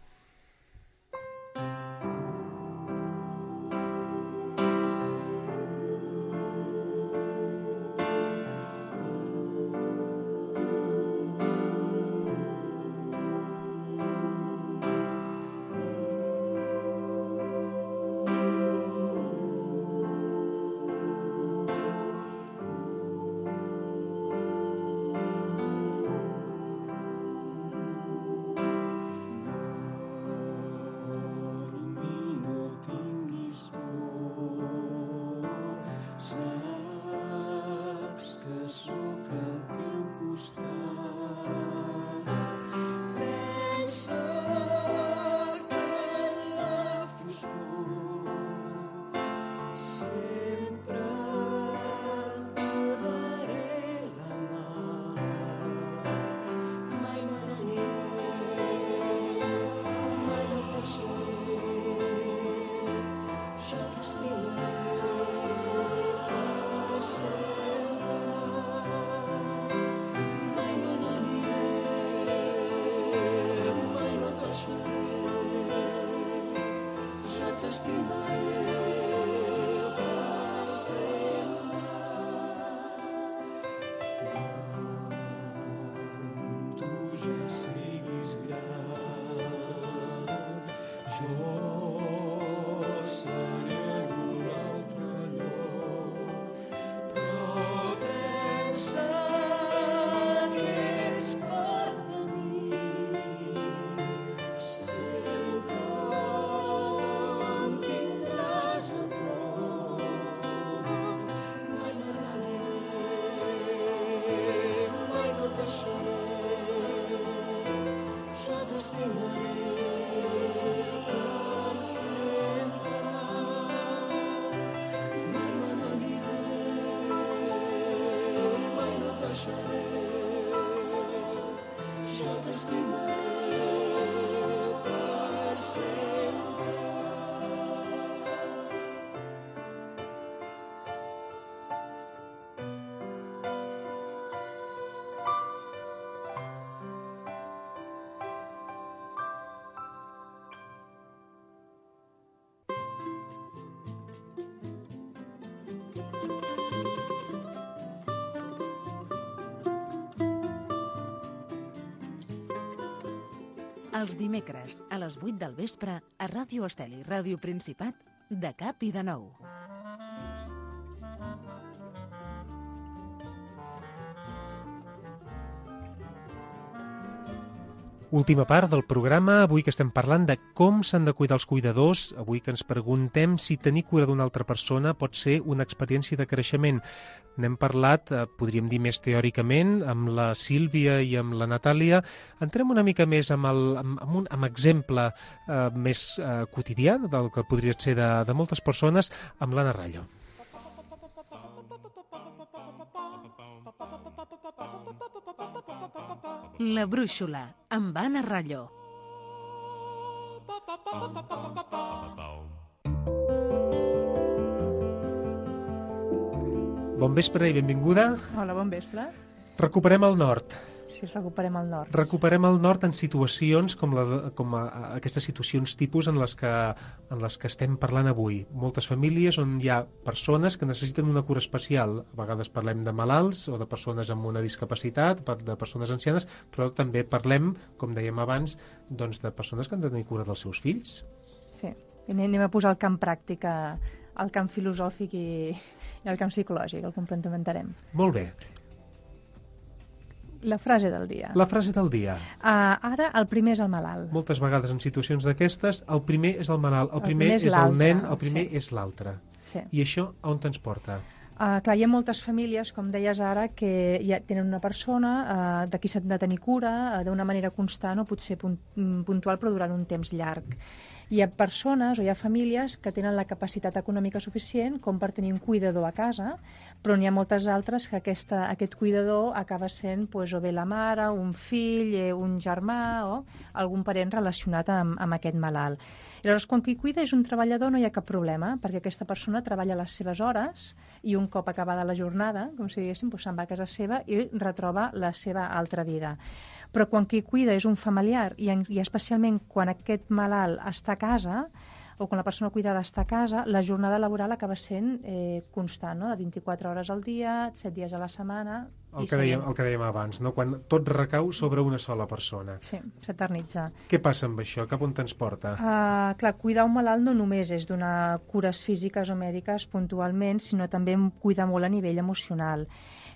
Els dimecres, a les vuit del vespre, a Ràdio Esteli, Ràdio Principat, de cap i de nou. Última part del programa, avui que estem parlant de com s'han de cuidar els cuidadors, avui que ens preguntem si tenir cura d'una altra persona pot ser una experiència de creixement. N'hem parlat, eh, podríem dir més teòricament, amb la Sílvia i amb la Natàlia. Entrem una mica més amb, el, amb, amb un amb exemple eh, més eh, quotidià, del que podria ser de, de moltes persones, amb l'Anna Rallo. La brúixola, amb Anna Rallo. Bon vespre i benvinguda. Hola, bon vespre. Recuperem el nord. Sí, recuperem el nord. Recuperem el nord en situacions com, la, com a, a aquestes situacions tipus en les, que, en les que estem parlant avui. Moltes famílies on hi ha persones que necessiten una cura especial. A vegades parlem de malalts o de persones amb una discapacitat, de persones ancianes, però també parlem, com dèiem abans, doncs, de persones que han de tenir cura dels seus fills. Sí, i anem a posar el camp pràctic, el camp filosòfic i, i el camp psicològic, el complementarem. Molt bé. La frase del dia. La frase del dia. Uh, ara el primer és el malalt. Moltes vegades en situacions d'aquestes el primer és el malalt, el, el primer, primer és, és el nen, el primer sí. és l'altre. Sí. I això on ens porta? Uh, clar, hi ha moltes famílies, com deies ara, que ja tenen una persona uh, de qui s'ha de tenir cura uh, d'una manera constant o potser punt, puntual però durant un temps llarg. Hi ha persones o hi ha famílies que tenen la capacitat econòmica suficient com per tenir un cuidador a casa, però n'hi ha moltes altres que aquesta, aquest cuidador acaba sent pues, o bé la mare, un fill, un germà o algun parent relacionat amb, amb aquest malalt. I llavors, quan qui cuida és un treballador no hi ha cap problema, perquè aquesta persona treballa les seves hores i un cop acabada la jornada, com si diguéssim, pues, se'n va a casa seva i retroba la seva altra vida. Però quan qui cuida és un familiar i, en, i especialment quan aquest malalt està a casa o quan la persona cuidada està a casa, la jornada laboral acaba sent eh, constant, no? De vint-i-quatre hores al dia, set dies a la setmana... El que, dèiem, el que dèiem abans, no? Quan tot recau sobre una sola persona. Sí, s'eternitza. Què passa amb això? Cap on te'ns porta? Uh, clar, cuidar un malalt no només és donar cures físiques o mèdiques puntualment, sinó també cuidar molt a nivell emocional.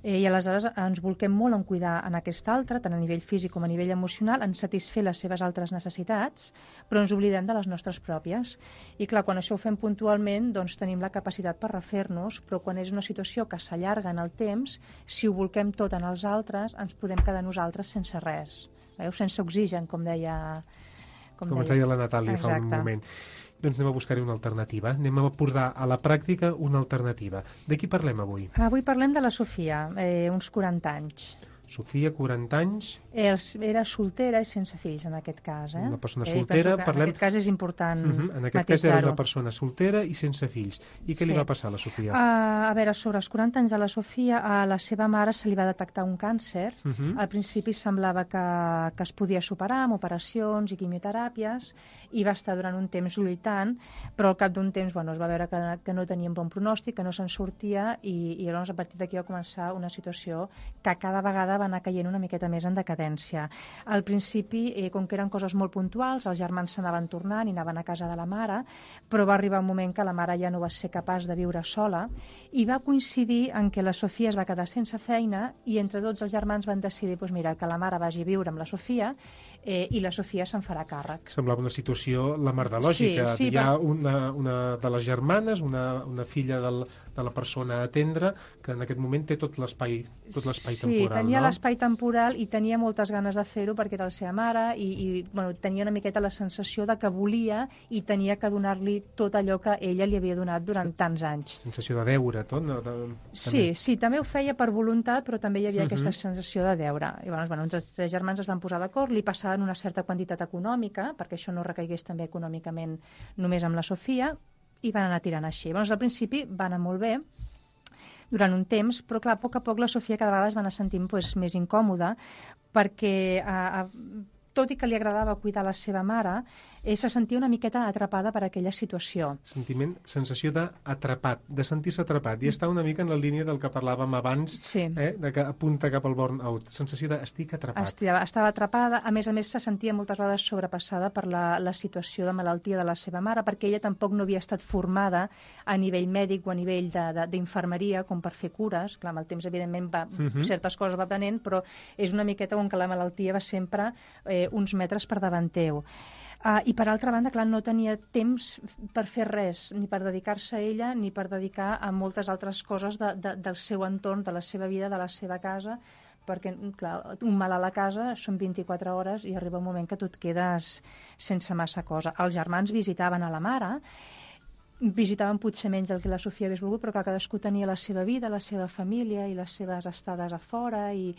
Eh, I aleshores ens volquem molt en cuidar en aquest altre, tant a nivell físic com a nivell emocional, en satisfer les seves altres necessitats, però ens oblidem de les nostres pròpies. I clar, quan això ho fem puntualment, doncs tenim la capacitat per refer-nos, però quan és una situació que s'allarga en el temps, si ho volquem tot en els altres, ens podem quedar nosaltres sense res. Veieu? Sense oxigen, com deia... Com, com deia. deia la Natàlia Exacte. fa un moment. Doncs anem a buscar-hi una alternativa. Anem a portar a la pràctica una alternativa. De qui parlem avui? Avui parlem de la Sofia, eh, uns quaranta anys. Sofia, quaranta anys. Els, era soltera i sense fills, en aquest cas. Eh? Una persona soltera. Eh, parlem... En aquest cas és important uh -huh. En aquest cas era una persona soltera i sense fills. I què sí. li va passar a la Sofia? Uh, a veure, sobre els quaranta anys de la Sofia, a la seva mare se li va detectar un càncer. Uh -huh. Al principi semblava que, que es podia superar amb operacions i quimioteràpies i va estar durant un temps lluitant, però al cap d'un temps bueno, es va veure que, que no tenia un bon pronòstic, que no se'n sortia i, i llavors a partir d'aquí va començar una situació que cada vegada va anar caient una miqueta més en decadència. Al principi, eh, com que eren coses molt puntuals, els germans s'anaven tornant i anaven a casa de la mare, però va arribar un moment que la mare ja no va ser capaç de viure sola i va coincidir en què la Sofia es va quedar sense feina i entre tots els germans van decidir doncs mira, que la mare vagi a viure amb la Sofia eh, i la Sofia se'n farà càrrec. Semblava una situació la mar de lògica. Sí, sí, Hi ha va... una, una de les germanes, una, una filla del, de la persona a atendre, que en aquest moment té tot l'espai tot l'espai sí, temporal. Sí, tenia no? l'espai temporal i tenia moltes ganes de fer-ho perquè era la seva mare i, i bueno, tenia una miqueta la sensació de que volia i tenia que donar-li tot allò que ella li havia donat durant sí. tants anys. Sensació de deure, tot? No? De... Sí, també. sí, també ho feia per voluntat, però també hi havia uh -huh. aquesta sensació de deure. I llavors, bueno, uns tres germans es van posar d'acord, li passaven una certa quantitat econòmica, perquè això no recaigués també econòmicament només amb la Sofia, i van anar tirant així. Llavors, al principi va anar molt bé, durant un temps, però clar, a poc a poc la Sofia cada vegada es va anar sentint pues, més incòmoda perquè a, a, tot i que li agradava cuidar la seva mare, eh, se sentia una miqueta atrapada per aquella situació. Sentiment, sensació d'atrapat, de sentir-se atrapat, i està una mica en la línia del que parlàvem abans, sí. eh, de que apunta cap al burn-out, sensació de estic atrapat. Estava, estava atrapada, a més a més se sentia moltes vegades sobrepassada per la, la situació de malaltia de la seva mare, perquè ella tampoc no havia estat formada a nivell mèdic o a nivell d'infermeria com per fer cures. Clar, amb el temps, evidentment, va, uh -huh. certes coses va aprenent, però és una miqueta com que la malaltia va sempre eh, uns metres per davant teu. Uh, I per altra banda, clar, no tenia temps per fer res, ni per dedicar-se a ella, ni per dedicar a moltes altres coses de, de, del seu entorn, de la seva vida, de la seva casa, perquè, clar, un malalt a la casa són vint-i-quatre hores i arriba un moment que tu et quedes sense massa cosa. Els germans visitaven a la mare, visitaven potser menys del que la Sofia hagués volgut, però que cadascú tenia la seva vida, la seva família i les seves estades a fora i...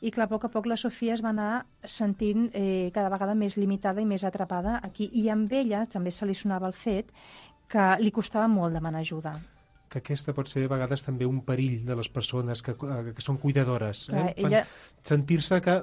I, clar, a poc a poc la Sofia es va anar sentint eh, cada vegada més limitada i més atrapada aquí. I amb ella també se li sonava el fet que li costava molt demanar ajuda. que aquesta pot ser a vegades també un perill de les persones que, que són cuidadores. Clar, eh? ella... Sentir-se que,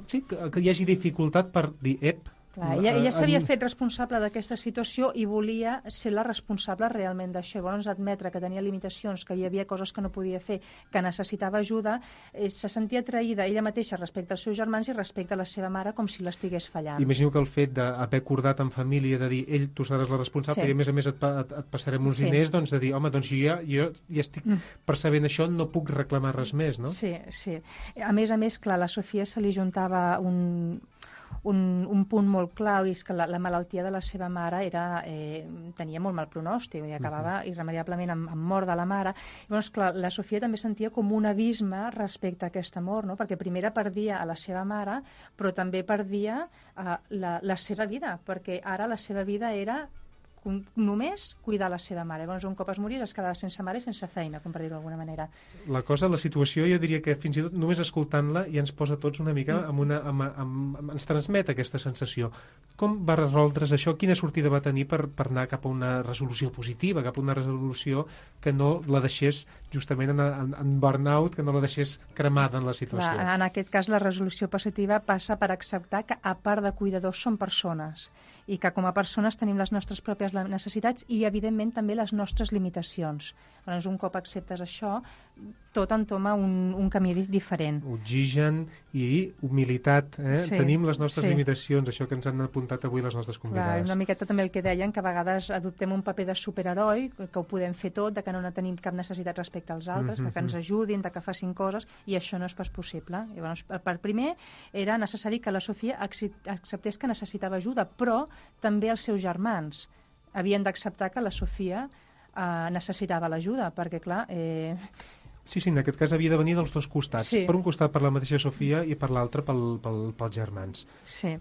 sí, que, que hi hagi dificultat per dir, ep, Clar, ella ella s'havia fet responsable d'aquesta situació i volia ser la responsable realment d'això. Llavors, admetre que tenia limitacions, que hi havia coses que no podia fer, que necessitava ajuda, eh, se sentia atraïda ella mateixa respecte als seus germans i respecte a la seva mare com si l'estigués fallant. Imagino que el fet d'haver acordat en família, de dir, ell, tu seràs la responsable, sí. i a més a més et, et, et passarem uns sí. diners, doncs de dir, home, doncs jo ja, jo ja estic mm. percebent això, no puc reclamar res més, no? Sí, sí. A més a més, clar, a la Sofia se li juntava un... Un, un punt molt clau, és que la, la malaltia de la seva mare era, eh, tenia molt mal pronòstic i acabava uh-huh. irremediablement amb, amb mort de la mare. Llavors, clar, la Sofia també sentia com un abisme respecte a aquesta mort, no? Perquè primer perdia a la seva mare, però també perdia eh, la, la seva vida, perquè ara la seva vida era només cuidar la seva mare. Llavors, un cop es moria, es quedava sense mare i sense feina, com per dir-ho d'alguna manera. La cosa, la situació, jo diria que fins i tot només escoltant-la ja ens posa tots una mica amb una... Amb, amb, amb, ens transmet aquesta sensació. Com va resoldre's això? Quina sortida va tenir per, per anar cap a una resolució positiva, cap a una resolució que no la deixés justament en, en, en burnout, que no la deixés cremada en la situació? Clar, en aquest cas, la resolució positiva passa per acceptar que, a part de cuidadors, són persones i que com a persones tenim les nostres pròpies necessitats i, evidentment, també les nostres limitacions. Llavors, un cop acceptes això, tot entoma un, un camí diferent. Oxigen i humilitat. Eh? Sí, Tenim les nostres sí. limitacions, això que ens han apuntat avui les nostres convidades. Clar, una miqueta també el que deien, que a vegades adoptem un paper de superheroi, que ho podem fer tot, de que no tenim cap necessitat respecte als altres, mm-hmm. de que ens ajudin, de que facin coses, i això no és pas possible. Llavors, per primer, era necessari que la Sofia acceptés que necessitava ajuda, però també els seus germans havien d'acceptar que la Sofia eh, necessitava l'ajuda, perquè, clar... Eh... Sí, sí, en aquest cas havia de venir dels dos costats. Sí. Per un costat per la mateixa Sofia i per l'altre pel, pel, pels germans. Sí.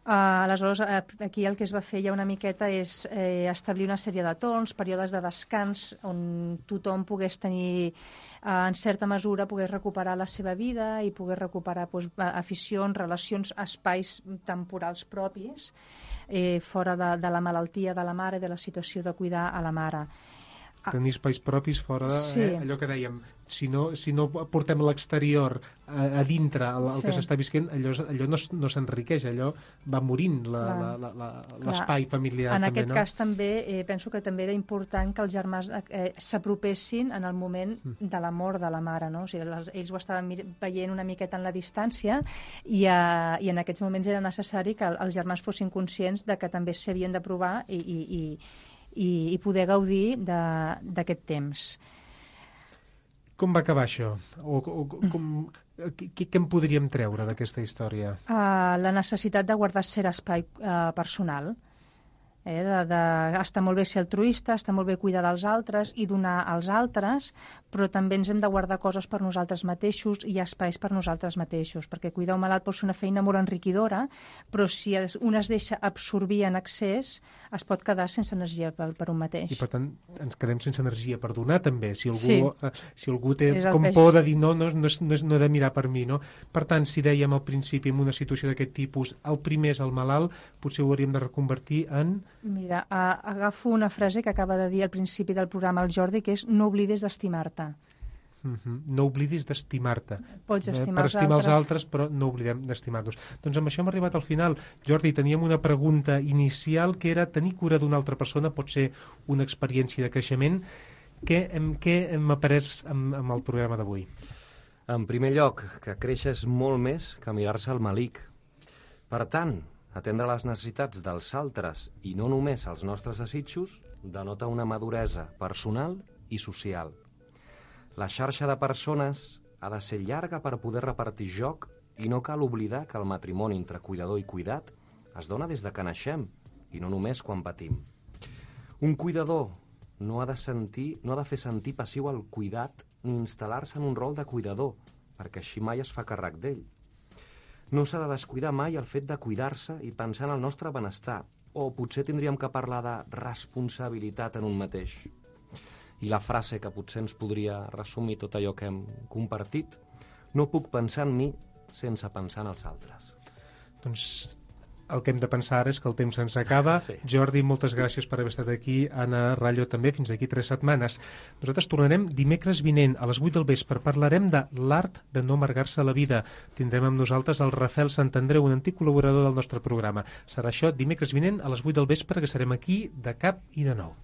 Uh, aleshores, uh, aquí el que es va fer ja una miqueta és eh, establir una sèrie de torns, períodes de descans, on tothom pogués tenir, uh, en certa mesura, pogués recuperar la seva vida i pogués recuperar doncs, aficions, relacions, espais temporals propis, eh, fora de, de la malaltia de la mare, de la situació de cuidar a la mare. Tenir espais propis fora de, sí. eh, allò que dèiem, si no, si no portem a l'exterior, a, a dintre, el, el sí. que s'està visquent, allò, allò no, no s'enriqueix, allò va morint l'espai familiar. En també, aquest no? cas també, eh, penso que també era important que els germans eh, s'apropessin en el moment mm. de la mort de la mare, no? O sigui, les, ells ho estaven veient una miqueta en la distància i, eh, i en aquests moments era necessari que els germans fossin conscients de que també s'havien de provar i, i, i I, i poder gaudir d'aquest temps. Com va acabar això? O, o, com, què, què en podríem treure d'aquesta història? Uh, la necessitat de guardar cert espai uh, personal. Eh, de, de, està molt bé ser altruista, està molt bé cuidar dels altres i donar als altres, però també ens hem de guardar coses per nosaltres mateixos i espais per nosaltres mateixos, perquè cuidar un malalt pot ser una feina molt enriquidora, però si es, un es deixa absorbir en excés, es pot quedar sense energia per, per un mateix. I per tant ens quedem sense energia per donar també, si algú, sí. eh, si algú té és com peix. por de dir no, no, no, no, no he de mirar per mi, no? Per tant, si dèiem al principi en una situació d'aquest tipus, el primer és el malalt, potser ho hauríem de reconvertir en... Mira, uh, agafo una frase que acaba de dir al principi del programa el Jordi, que és no oblidis d'estimar-te. Uh-huh. No oblidis d'estimar-te. Pots estimar eh, per estimar els altres, altres, però no oblidem d'estimar-nos. Doncs amb això hem arribat al final. Jordi, teníem una pregunta inicial que era tenir cura d'una altra persona pot ser una experiència de creixement. Què hem, què hem après amb, amb el programa d'avui? En primer lloc, que créixer és molt més que mirar-se al malic. Per tant, atendre les necessitats dels altres i no només els nostres desitjos denota una maduresa personal i social. La xarxa de persones ha de ser llarga per poder repartir joc i no cal oblidar que el matrimoni entre cuidador i cuidat es dona des de que naixem i no només quan patim. Un cuidador no ha de sentir, no ha de fer sentir passiu el cuidat ni instal·lar-se en un rol de cuidador, perquè així mai es fa càrrec d'ell. No s'ha de descuidar mai el fet de cuidar-se i pensar en el nostre benestar, o potser tindríem que parlar de responsabilitat en un mateix. I la frase que potser ens podria resumir tot allò que hem compartit, no puc pensar en mi sense pensar en els altres. Doncs El que hem de pensar ara és que el temps ens acaba. Sí. Jordi, moltes gràcies per haver estat aquí. Anna Rallo també, fins d'aquí tres setmanes. Nosaltres tornarem dimecres vinent a les vuit del vespre. Parlarem de l'art de no amargar-se la vida. Tindrem amb nosaltres el Rafel Santandreu, un antic col·laborador del nostre programa. Serà això dimecres vinent a les vuit del vespre, que serem aquí de cap i de nou.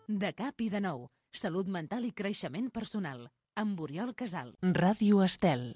De cap i de nou. Salut mental i creixement personal. Amb Oriol Casal. Ràdio Estel.